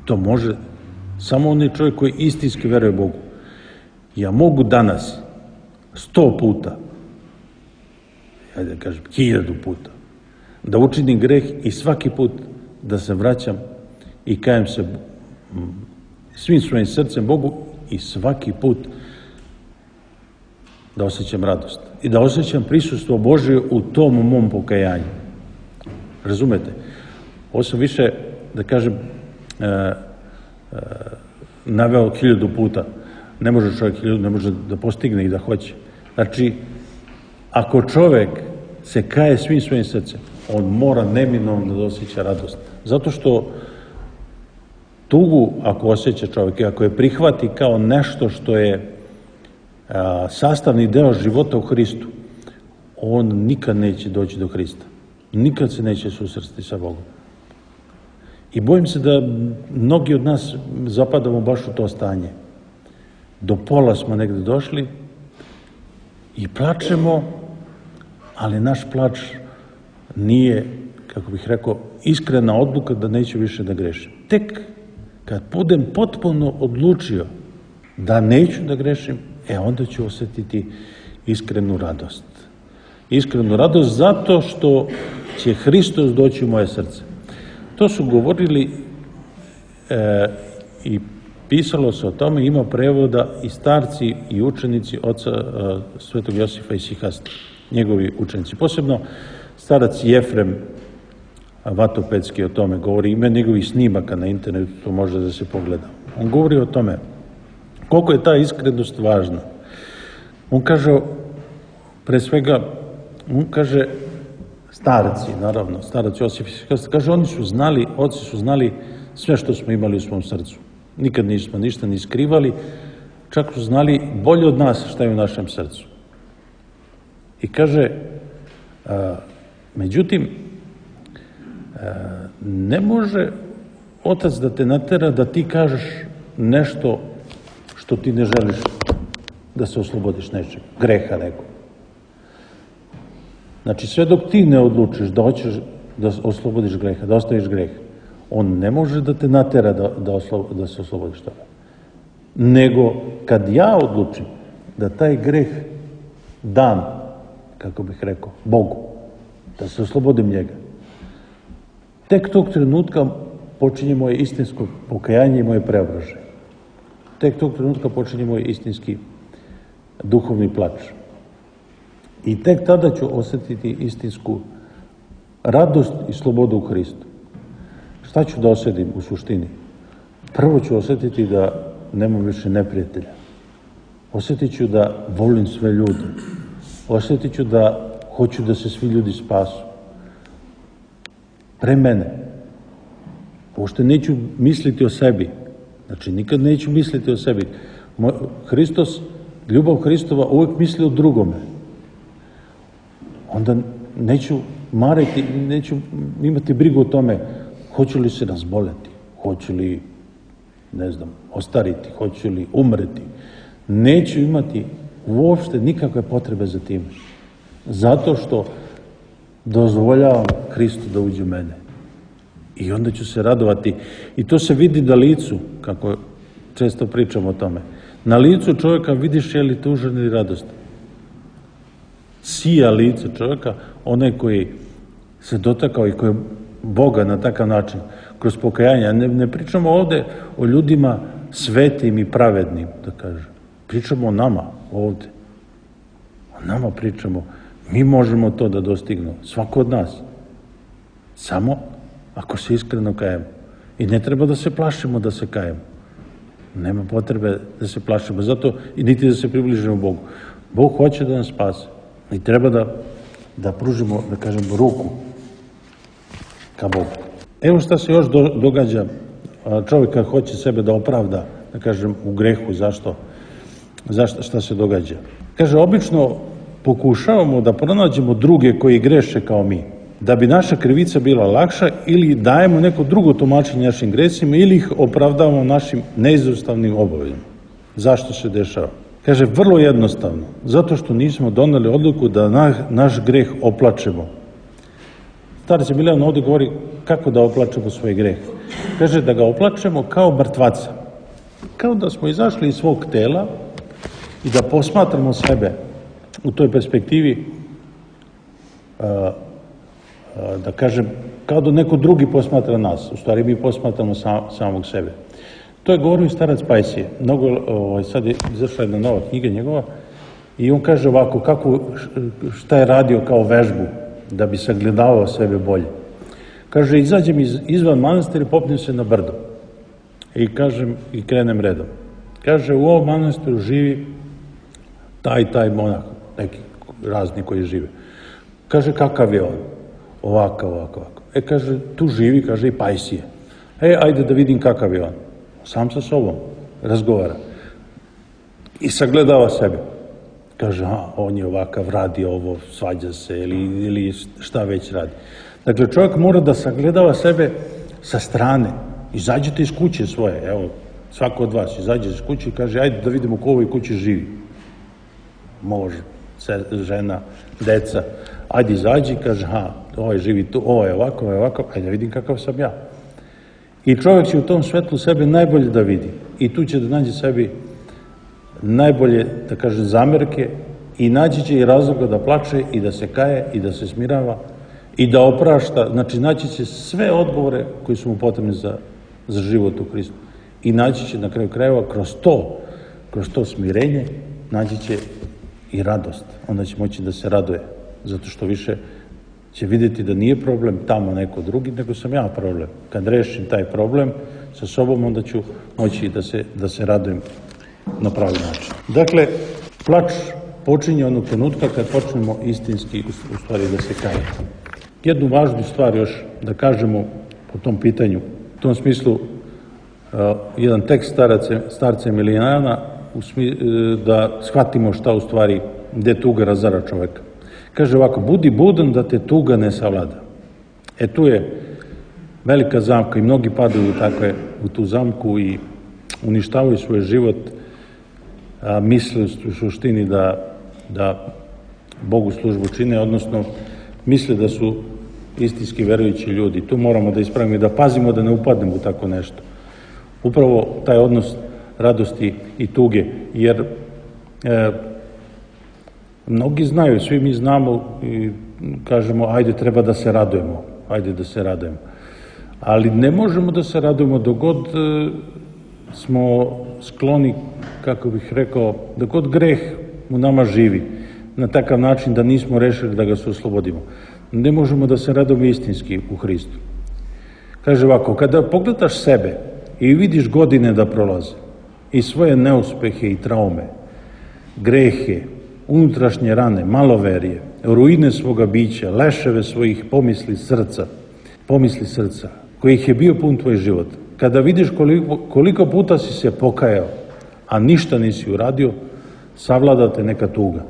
To može samo onaj čovjek koji istinski veruje Bogu. Ja mogu danas sto puta, ajde da kažem, hiljadu puta, da učinim greh i svaki put da se vraćam i kajem se svim svojim srcem Bogu i svaki put da osjećam radost i da osjećam prisustvo Božje u tom mom pokajanju. Razumete? Ovo sam više, da kažem, e, e, naveo hiljadu puta. Ne može čovjek hiljadu, ne može da postigne i da hoće. Znači, ako čovjek se kaje svim svojim srcem, on mora neminovno da osjeća radost. Zato što tugu, ako osjeća čovjek i ako je prihvati kao nešto što je a, sastavni deo života u Hristu, on nikad neće doći do Hrista. Nikad se neće susresti sa Bogom. I bojim se da mnogi od nas zapadamo baš u to stanje. Do pola smo negde došli i plačemo, ali naš plač nije, kako bih rekao, iskrena odluka da neću više da grešim. Tek kad budem potpuno odlučio da neću da grešim, e onda ću osjetiti iskrenu radost. Iskrenu radost zato što će Hristos doći u moje srce. To su govorili e, i pisalo se o tome, ima prevoda i starci i učenici oca e, Svetog Josifa Isihasta, njegovi učenici. Posebno starac Jefrem Vatopedski o tome govori, ima njegovih snimaka na internetu, to može da se pogleda. On govori o tome koliko je ta iskrenost važna. On kaže, pre svega, on kaže, starci, naravno, starac Josif Isihasta, kaže, oni su znali, oci su znali sve što smo imali u svom srcu. Nikad nismo ništa ni skrivali, čak su znali bolje od nas šta je u našem srcu. I kaže, a, međutim, a, ne može otac da te natera da ti kažeš nešto što ti ne želiš da se oslobodiš nečeg, greha nekog. Znači, sve dok ti ne odlučiš da hoćeš da oslobodiš greha, da ostaviš greh, on ne može da te natera da, da, oslo, da se oslobodiš toga. Nego, kad ja odlučim da taj greh dam, kako bih rekao, Bogu, da se oslobodim njega, tek tog trenutka počinje moje istinsko pokajanje i moje preobražaje. tek tog trenutka počinje moj istinski duhovni plač. I tek tada ću osjetiti istinsku radost i slobodu u Hristu. Šta ću da osjetim u suštini? Prvo ću osjetiti da nemam više neprijatelja. Osjetit ću da volim sve ljude. Osjetit ću da hoću da se svi ljudi spasu. Pre mene. Uopšte neću misliti o sebi. Znači, nikad neću misliti o sebi. Hristos, ljubav Hristova uvek misli o drugome. Onda neću mariti, neću imati brigu o tome hoću li se razboleti, hoću li, ne znam, ostariti, hoću li umreti. Neću imati uopšte nikakve potrebe za tim. Zato što dozvoljavam Hristu da uđe u mene. I onda ću se radovati. I to se vidi na licu, kako često pričamo o tome. Na licu čovjeka vidiš je li tužan ili radostan. Sija lice čovjeka, onaj koji se dotakao i koji je Boga na takav način, kroz pokajanje. Ne, ne pričamo ovde o ljudima svetim i pravednim, da kažem. Pričamo o nama ovde. O nama pričamo. Mi možemo to da dostignemo. Svako od nas. Samo ako se iskreno kajemo. I ne treba da se plašimo da se kajemo. Nema potrebe da se plašimo. Zato i niti da se približimo Bogu. Bog hoće da nas spase. I treba da, da pružimo, da kažemo, ruku ka Bogu. Evo šta se još do, događa. Čovjek kad hoće sebe da opravda, da kažem, u grehu. Zašto? Zašto? Šta se događa? Kaže, obično pokušavamo da pronađemo druge koji greše kao mi, da bi naša krivica bila lakša, ili dajemo neko drugo tumačenje našim gresima, ili ih opravdavamo našim neizostavnim obavezama. Zašto se dešava? Kaže, vrlo jednostavno, zato što nismo doneli odluku da na, naš greh oplačemo. Starac Emilijan ovdje govori kako da oplačemo svoj greh. Kaže da ga oplačemo kao mrtvaca. Kao da smo izašli iz svog tela i da posmatramo sebe u toj perspektivi, a, a, da kažem, kao da neko drugi posmatra nas. U stvari mi posmatramo sam, samog sebe. To je govorio starac Pajsije. Mnogo, ovaj, sad je izašla jedna nova knjiga njegova i on kaže ovako, kako, šta je radio kao vežbu da bi sagledavao sebe bolje. Kaže, izađem iz, izvan manastira i popnem se na brdo. I kažem, i krenem redom. Kaže, u ovom manastiru živi taj, taj monah, neki razni koji žive. Kaže, kakav je on? Ovakav, ovakav, ovakav. E, kaže, tu živi, kaže, i Pajsije. E, ajde da vidim kakav je on. Sam sa sobom razgovara. I sagledava sebe. Kaže, a, on je ovakav, radi ovo, svađa se, ili, ili šta već radi. Dakle, čovjek mora da sagledava sebe sa strane. Izađite iz kuće svoje, evo, svako od vas izađe iz kuće i kaže, ajde da vidimo ko u ovoj kući živi. Može, žena, deca. Ajde izađi i kaže, ha, ovaj živi tu, ovo je ovako, ovo je ovako, ajde da vidim kakav sam ja. I čovjek će u tom svetlu sebe najbolje da vidi. I tu će da nađe sebi najbolje, da kaže, zamerke i naći će i razloga da plače i da se kaje i da se smirava i da oprašta. Znači, naći će sve odgovore koji su mu potrebni za, za život u Hristu. I naći će na kraju krajeva kroz to, kroz to smirenje, naći će i radost. Onda će moći da se raduje, zato što više će vidjeti da nije problem tamo neko drugi, nego sam ja problem. Kad rešim taj problem sa sobom, onda ću moći da se, da se radujem na pravi način. Dakle, plač počinje onog trenutka kad počnemo istinski, u stvari, da se kaje. Jednu važnu stvar još da kažemo po tom pitanju, u tom smislu, uh, jedan tekst starace, starca Emilijana, u smi, uh, da shvatimo šta u stvari, gde tuga razara čoveka. Kaže ovako, budi budan da te tuga ne savlada. E tu je velika zamka i mnogi padaju takve, u tu zamku i uništavaju svoj život, a misle u suštini da, da Bogu službu čine, odnosno misle da su istinski verujući ljudi. Tu moramo da ispravimo i da pazimo da ne upadnemo u tako nešto. Upravo taj odnos radosti i tuge, jer e, mnogi znaju, svi mi znamo i kažemo, ajde, treba da se radujemo, ajde da se radujemo. Ali ne možemo da se radujemo dok god smo skloni, kako bih rekao, da kod greh u nama živi, na takav način da nismo rešili da ga se oslobodimo. Ne možemo da se radimo istinski u Hristu. Kaže ovako, kada pogledaš sebe i vidiš godine da prolaze i svoje neuspehe i traume, grehe, unutrašnje rane, maloverije, ruine svoga bića, leševe svojih pomisli srca, pomisli srca, kojih je bio pun tvoj život, kada vidiš koliko, koliko puta si se pokajao, a ništa nisi uradio, savladate neka tuga.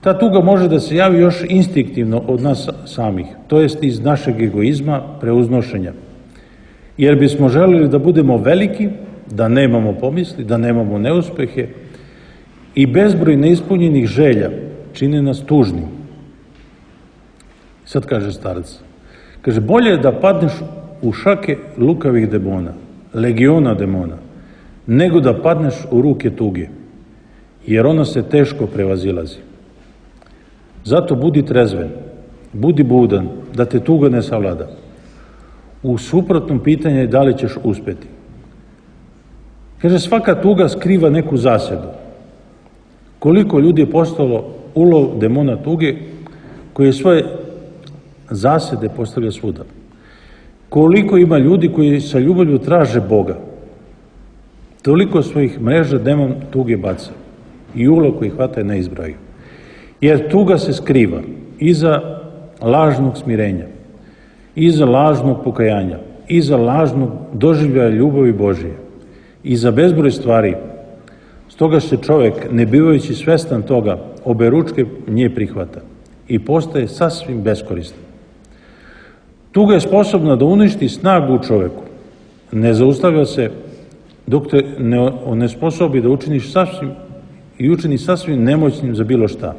Ta tuga može da se javi još instinktivno od nas samih, to jest iz našeg egoizma, preuznošenja. Jer bismo želeli da budemo veliki, da nemamo pomisli, da nemamo neuspehe i bezbroj neispunjenih želja čine nas tužnim. Sad kaže starac, kaže, bolje je da padneš u šake lukavih demona, legiona demona, nego da padneš u ruke tuge, jer ona se teško prevazilazi. Zato budi trezven, budi budan, da te tuga ne savlada. U suprotnom pitanje je da li ćeš uspeti. Kaže, svaka tuga skriva neku zasedu. Koliko ljudi je postalo ulov demona tuge, koji svoje zasede postavlja svuda. Koliko ima ljudi koji sa ljubavlju traže Boga. Toliko svojih mreža demon tuge baca i ulov koji hvata ne izbraju. Jer tuga se skriva iza lažnog smirenja, iza lažnog pokajanja, iza lažnog doživljaja ljubavi Božije, iza bezbroj stvari. Stoga se čovek, ne bivajući svestan toga, obe ručke nje prihvata i postaje sasvim beskoristan. Tuga je sposobna da uništi snagu u čoveku. Ne zaustavlja se dok te ne onesposobi da učiniš sasvim i učini sasvim nemoćnim za bilo šta.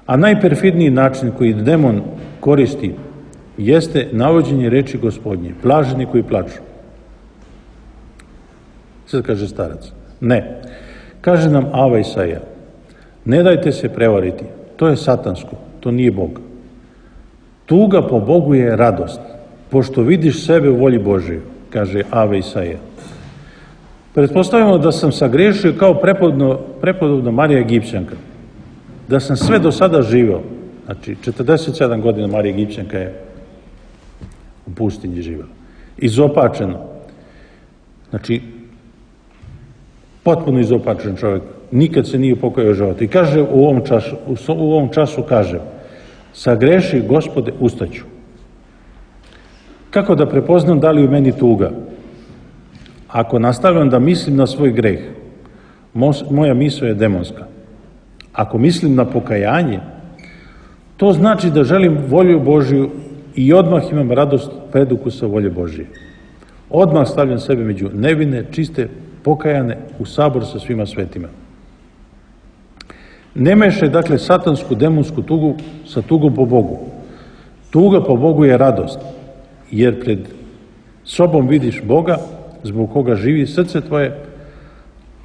A najperfidniji način koji demon koristi jeste navođenje reči Gospodnje, blaženi koji plaču. Sad kaže starac, ne, kaže nam Ava Isaija, ne dajte se prevariti, to je satansko, to nije Bog. Tuga po Bogu je radost, pošto vidiš sebe u volji Božije, kaže Ava Isaija. Pretpostavljamo da sam sagrešio kao prepodobna Marija Egipćanka, da sam sve do sada živeo, znači četrdeset sedam godina Marija Egipćanka je u pustinji živela, izopačeno, znači potpuno izopačen čovjek, nikad se nije pokajao života. I kaže u ovom času, u ovom času kaže, sagreši, Gospode, ustaću. Kako da prepoznam da li u meni tuga? Ako nastavljam da mislim na svoj greh, moja misao je demonska. Ako mislim na pokajanje, to znači da želim volju Božiju i odmah imam radost predukusa volje Božije. Odmah stavljam sebe među nevine, čiste, pokajane u sabor sa svima svetima. Ne mešaj, dakle, satansku, demonsku tugu sa tugom po Bogu. Tuga po Bogu je radost, jer pred sobom vidiš Boga, zbog koga živi srce tvoje,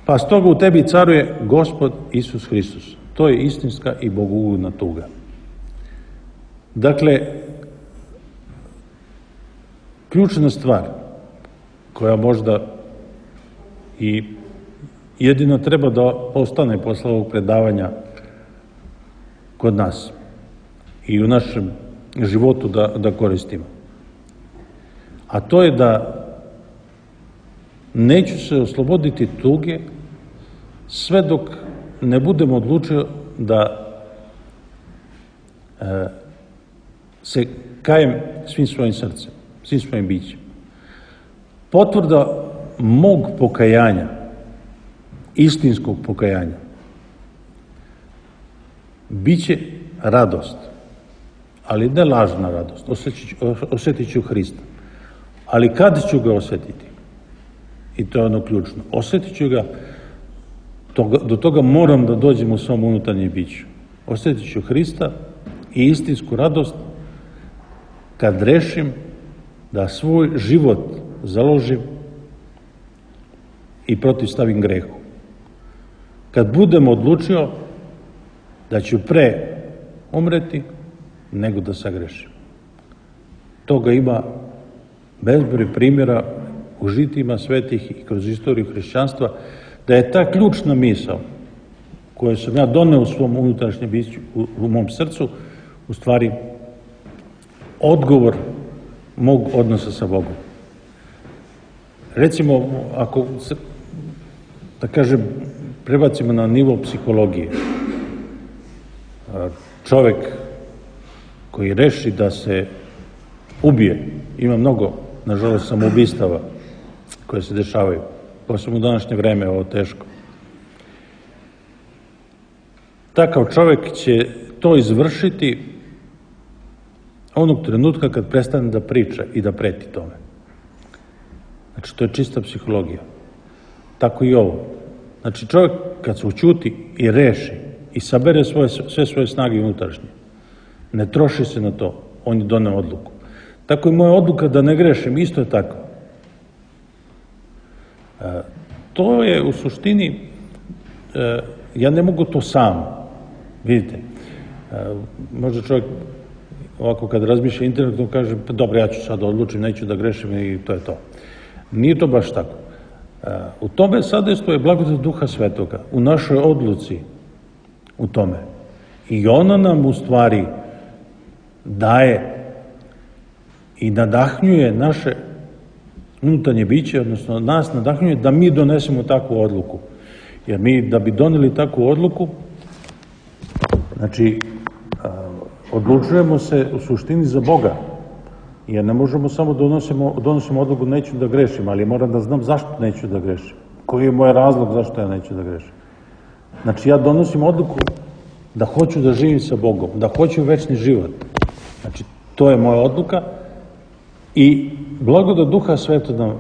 pa stoga u tebi caruje Gospod Isus Hristos. To je istinska i bogugodna tuga. Dakle, ključna stvar koja možda i jedino treba da ostane posle ovog predavanja kod nas i u našem životu da, da koristimo. A to je da neću se osloboditi tuge sve dok ne budem odlučio da e, se kajem svim svojim srcem, svim svojim bićem. Potvrda mog pokajanja, istinskog pokajanja, biće radost, ali ne lažna radost, osjetit ću Hrista. Ali kad ću ga osjetiti? I to je ono ključno. Osjetit ću ga, toga, do toga moram da dođem u svom unutarnjem biću. Osjetit ću Hrista i istinsku radost kad rešim da svoj život založim i protivstavim grehu. Kad budem odlučio da ću pre umreti nego da sagrešim. Toga ima bezbroj primjera u žitima svetih i kroz istoriju hrišćanstva, da je ta ključna misao koju sam ja doneo u svom unutrašnjem biću, u, u mom srcu, u stvari odgovor mog odnosa sa Bogom. Recimo, ako se, da kažem, prebacimo na nivo psihologije, čovek koji reši da se ubije, ima mnogo, nažalost, samoubistava koje se dešavaju, posebno u današnje vreme, ovo teško. Takav čovek će to izvršiti onog trenutka kad prestane da priča i da preti tome. Znači, to je čista psihologija. Tako i ovo. Znači, čovjek kad se ućuti i reši i sabere svoje, sve svoje snage unutrašnje, ne troši se na to, on je doneo odluku. Tako i moja odluka da ne grešim, isto je tako. E, to je u suštini, e, ja ne mogu to sam, vidite. E, možda čovjek ovako kad razmišlja internetom kaže, pa dobro, ja ću sad odlučiti, neću da grešim i to je to. Nije to baš tako. U tome sadejstvo je blagodat Duha Svetoga, u našoj odluci u tome. I ona nam u stvari daje i nadahnjuje naše unutarnje biće, odnosno nas nadahnjuje da mi donesemo takvu odluku. Jer mi da bi doneli takvu odluku, znači odlučujemo se u suštini za Boga. Jer ne možemo samo donosimo, donosimo odluku neću da grešim, ali moram da znam zašto neću da grešim. Koji je moj razlog zašto ja neću da grešim. Znači ja donosim odluku da hoću da živim sa Bogom, da hoću večni život. Znači to je moja odluka i blagodat Duha Svetog nam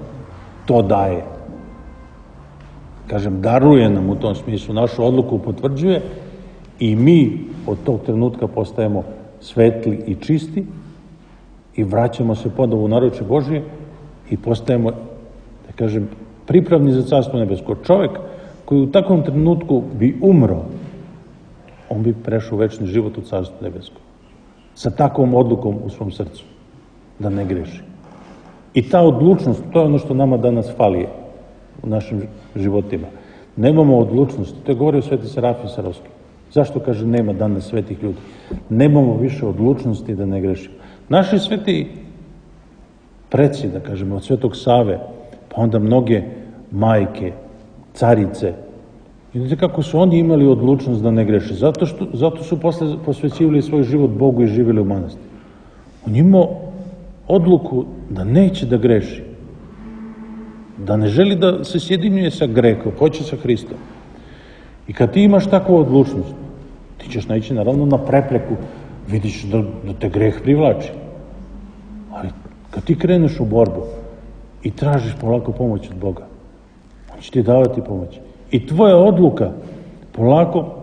to daje. Kažem, daruje nam u tom smislu, našu odluku potvrđuje i mi od tog trenutka postajemo svetli i čisti i vraćamo se ponovo u naručje Božije i postajemo, da kažem, pripravni za Carstvo nebesko. Čovek koji u takvom trenutku bi umro, on bi prešao u večni život u Carstvo nebesko. Sa takvom odlukom u svom srcu, da ne greši. I ta odlučnost, to je ono što nama danas fali u našim životima. Nemamo odlučnosti, to je govorio Sveti Serafim Sarovski. Zašto, kaže, nema danas svetih ljudi? Nemamo više odlučnosti da ne grešimo. Naši sveti preci, da kažemo, od Svetog Save, pa onda mnoge majke, carice, vidite kako su oni imali odlučnost da ne greše. Zato, što, zato su posle posvećivali svoj život Bogu i živjeli u manastiru. On imao odluku da neće da greši, da ne želi da se sjedinjuje sa grehom, hoće sa Hristom. I kad ti imaš takvu odlučnost, ti ćeš naići naravno na prepreku, vidiš da, da te greh privlači. Ali kad ti kreneš u borbu i tražiš polako pomoć od Boga, on će ti davati pomoć. I tvoja odluka polako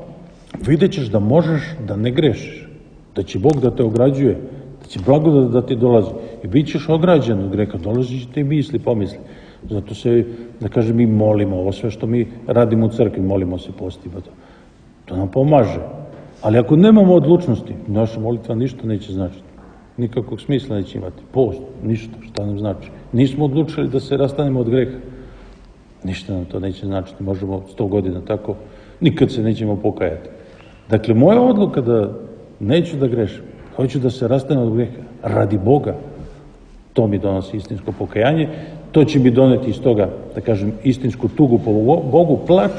vidjet ćeš da možeš da ne grešiš, da će Bog da te ograđuje, da će blagodat da ti dolazi. I bit ćeš ograđen od greha, dolazi će ti misli, pomisli. Zato se, da kažem, mi molimo, ovo sve što mi radimo u crkvi, molimo se, postimo to. To nam pomaže. Ali ako nemamo odlučnosti, naša molitva ništa neće značiti. Nikakvog smisla neće imati. Post, ništa, šta nam znači. Nismo odlučili da se rastanemo od greha. Ništa nam to neće značiti. Možemo sto godina tako, nikad se nećemo pokajati. Dakle, moja odluka da neću da grešim, hoću da se rastanem od greha, radi Boga, to mi donosi istinsko pokajanje, to će mi doneti iz toga, da kažem, istinsku tugu po Bogu, plač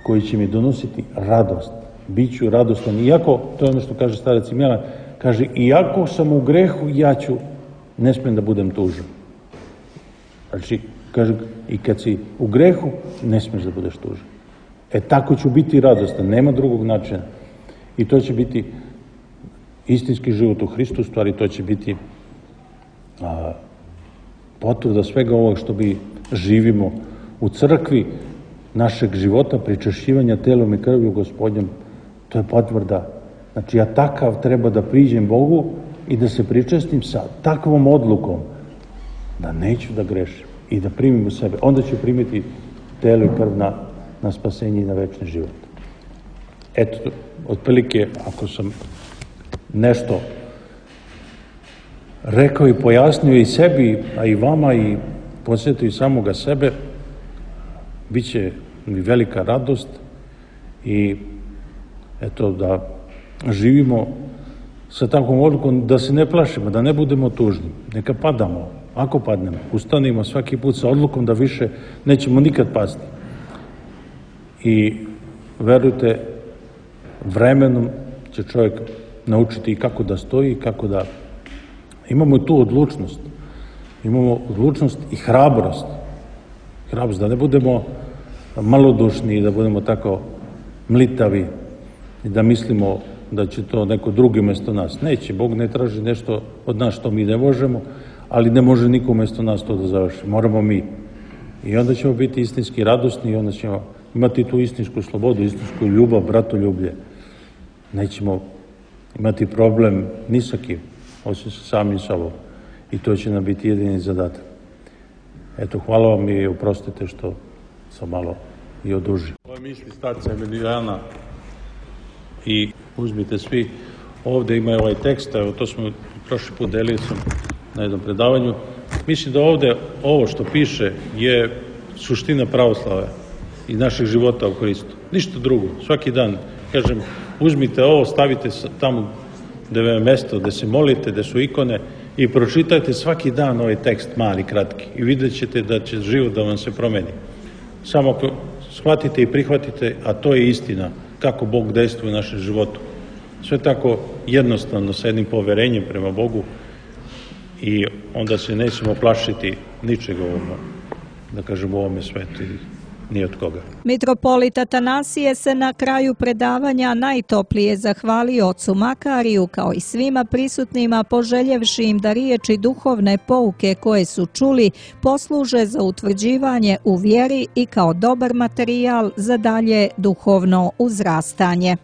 koji će mi donositi radost. Biću radostan. Iako, to je ono što kaže starac Milan, kaže, iako sam u grehu, ja ću, ne smijem da budem tužan. Znači, kaže, i kad si u grehu, ne smiješ da budeš tužan. E, tako ću biti radostan, nema drugog načina. I to će biti istinski život u Hristu, stvari to će biti a, potvrda svega ovog što mi živimo u crkvi, našeg života, pričašćivanja telom i krvlju Gospodnjom, to je potvrda. Znači, ja takav treba da priđem Bogu i da se pričestim sa takvom odlukom da neću da grešim i da primim u sebe. Onda ću primiti telo i krv na, na spasenje i na večni život. Eto, otprilike, ako sam nešto rekao i pojasnio i sebi, a i vama, i podsjeti i samoga sebe, bit će mi velika radost i eto da živimo sa takvom odlukom da se ne plašimo, da ne budemo tužni. Neka padamo, ako padnemo, ustanimo svaki put sa odlukom da više nećemo nikad pasti. I verujte, vremenom će čovjek naučiti kako da stoji, kako da... Imamo tu odlučnost. Imamo odlučnost i hrabrost. Hrabrost, da ne budemo malodušni i da budemo tako mlitavi i da mislimo da će to neko drugi umesto nas. Neće, Bog ne traži nešto od nas što mi ne možemo, ali ne može niko umesto nas to da završi. Moramo mi. I onda ćemo biti istinski radosni i onda ćemo imati tu istinsku slobodu, istinsku ljubav, bratoljublje. Nećemo imati problem ni sa kim, osim sa samim sobom. I to će nam biti jedini zadatak. Eto, hvala vam i oprostite što sam malo i odužio. Ove misli starca Emilijana i uzmite svi, ovde ima ovaj tekst, evo to smo prošli put delili sam na jednom predavanju. Mislim da ovde ovo što piše je suština pravoslave i našeg života u Hristu. Ništa drugo. Svaki dan, kažem, uzmite ovo, stavite tamo gde je mesto, gde se molite, gde su ikone i pročitajte svaki dan ovaj tekst mali, kratki i vidjet ćete da će život da vam se promeni. Samo ako shvatite i prihvatite, a to je istina, kako Bog dejstvuje u našem životu. Sve tako jednostavno, sa jednim poverenjem prema Bogu i onda se nećemo plašiti ničega ovome, da kažem, u ovome svetu ni od koga. Mitropolit Atanasije se na kraju predavanja najtoplije zahvalio ocu Makariju kao i svima prisutnima, poželjevši im da riječi duhovne pouke koje su čuli posluže za utvrđivanje u vjeri i kao dobar materijal za dalje duhovno uzrastanje.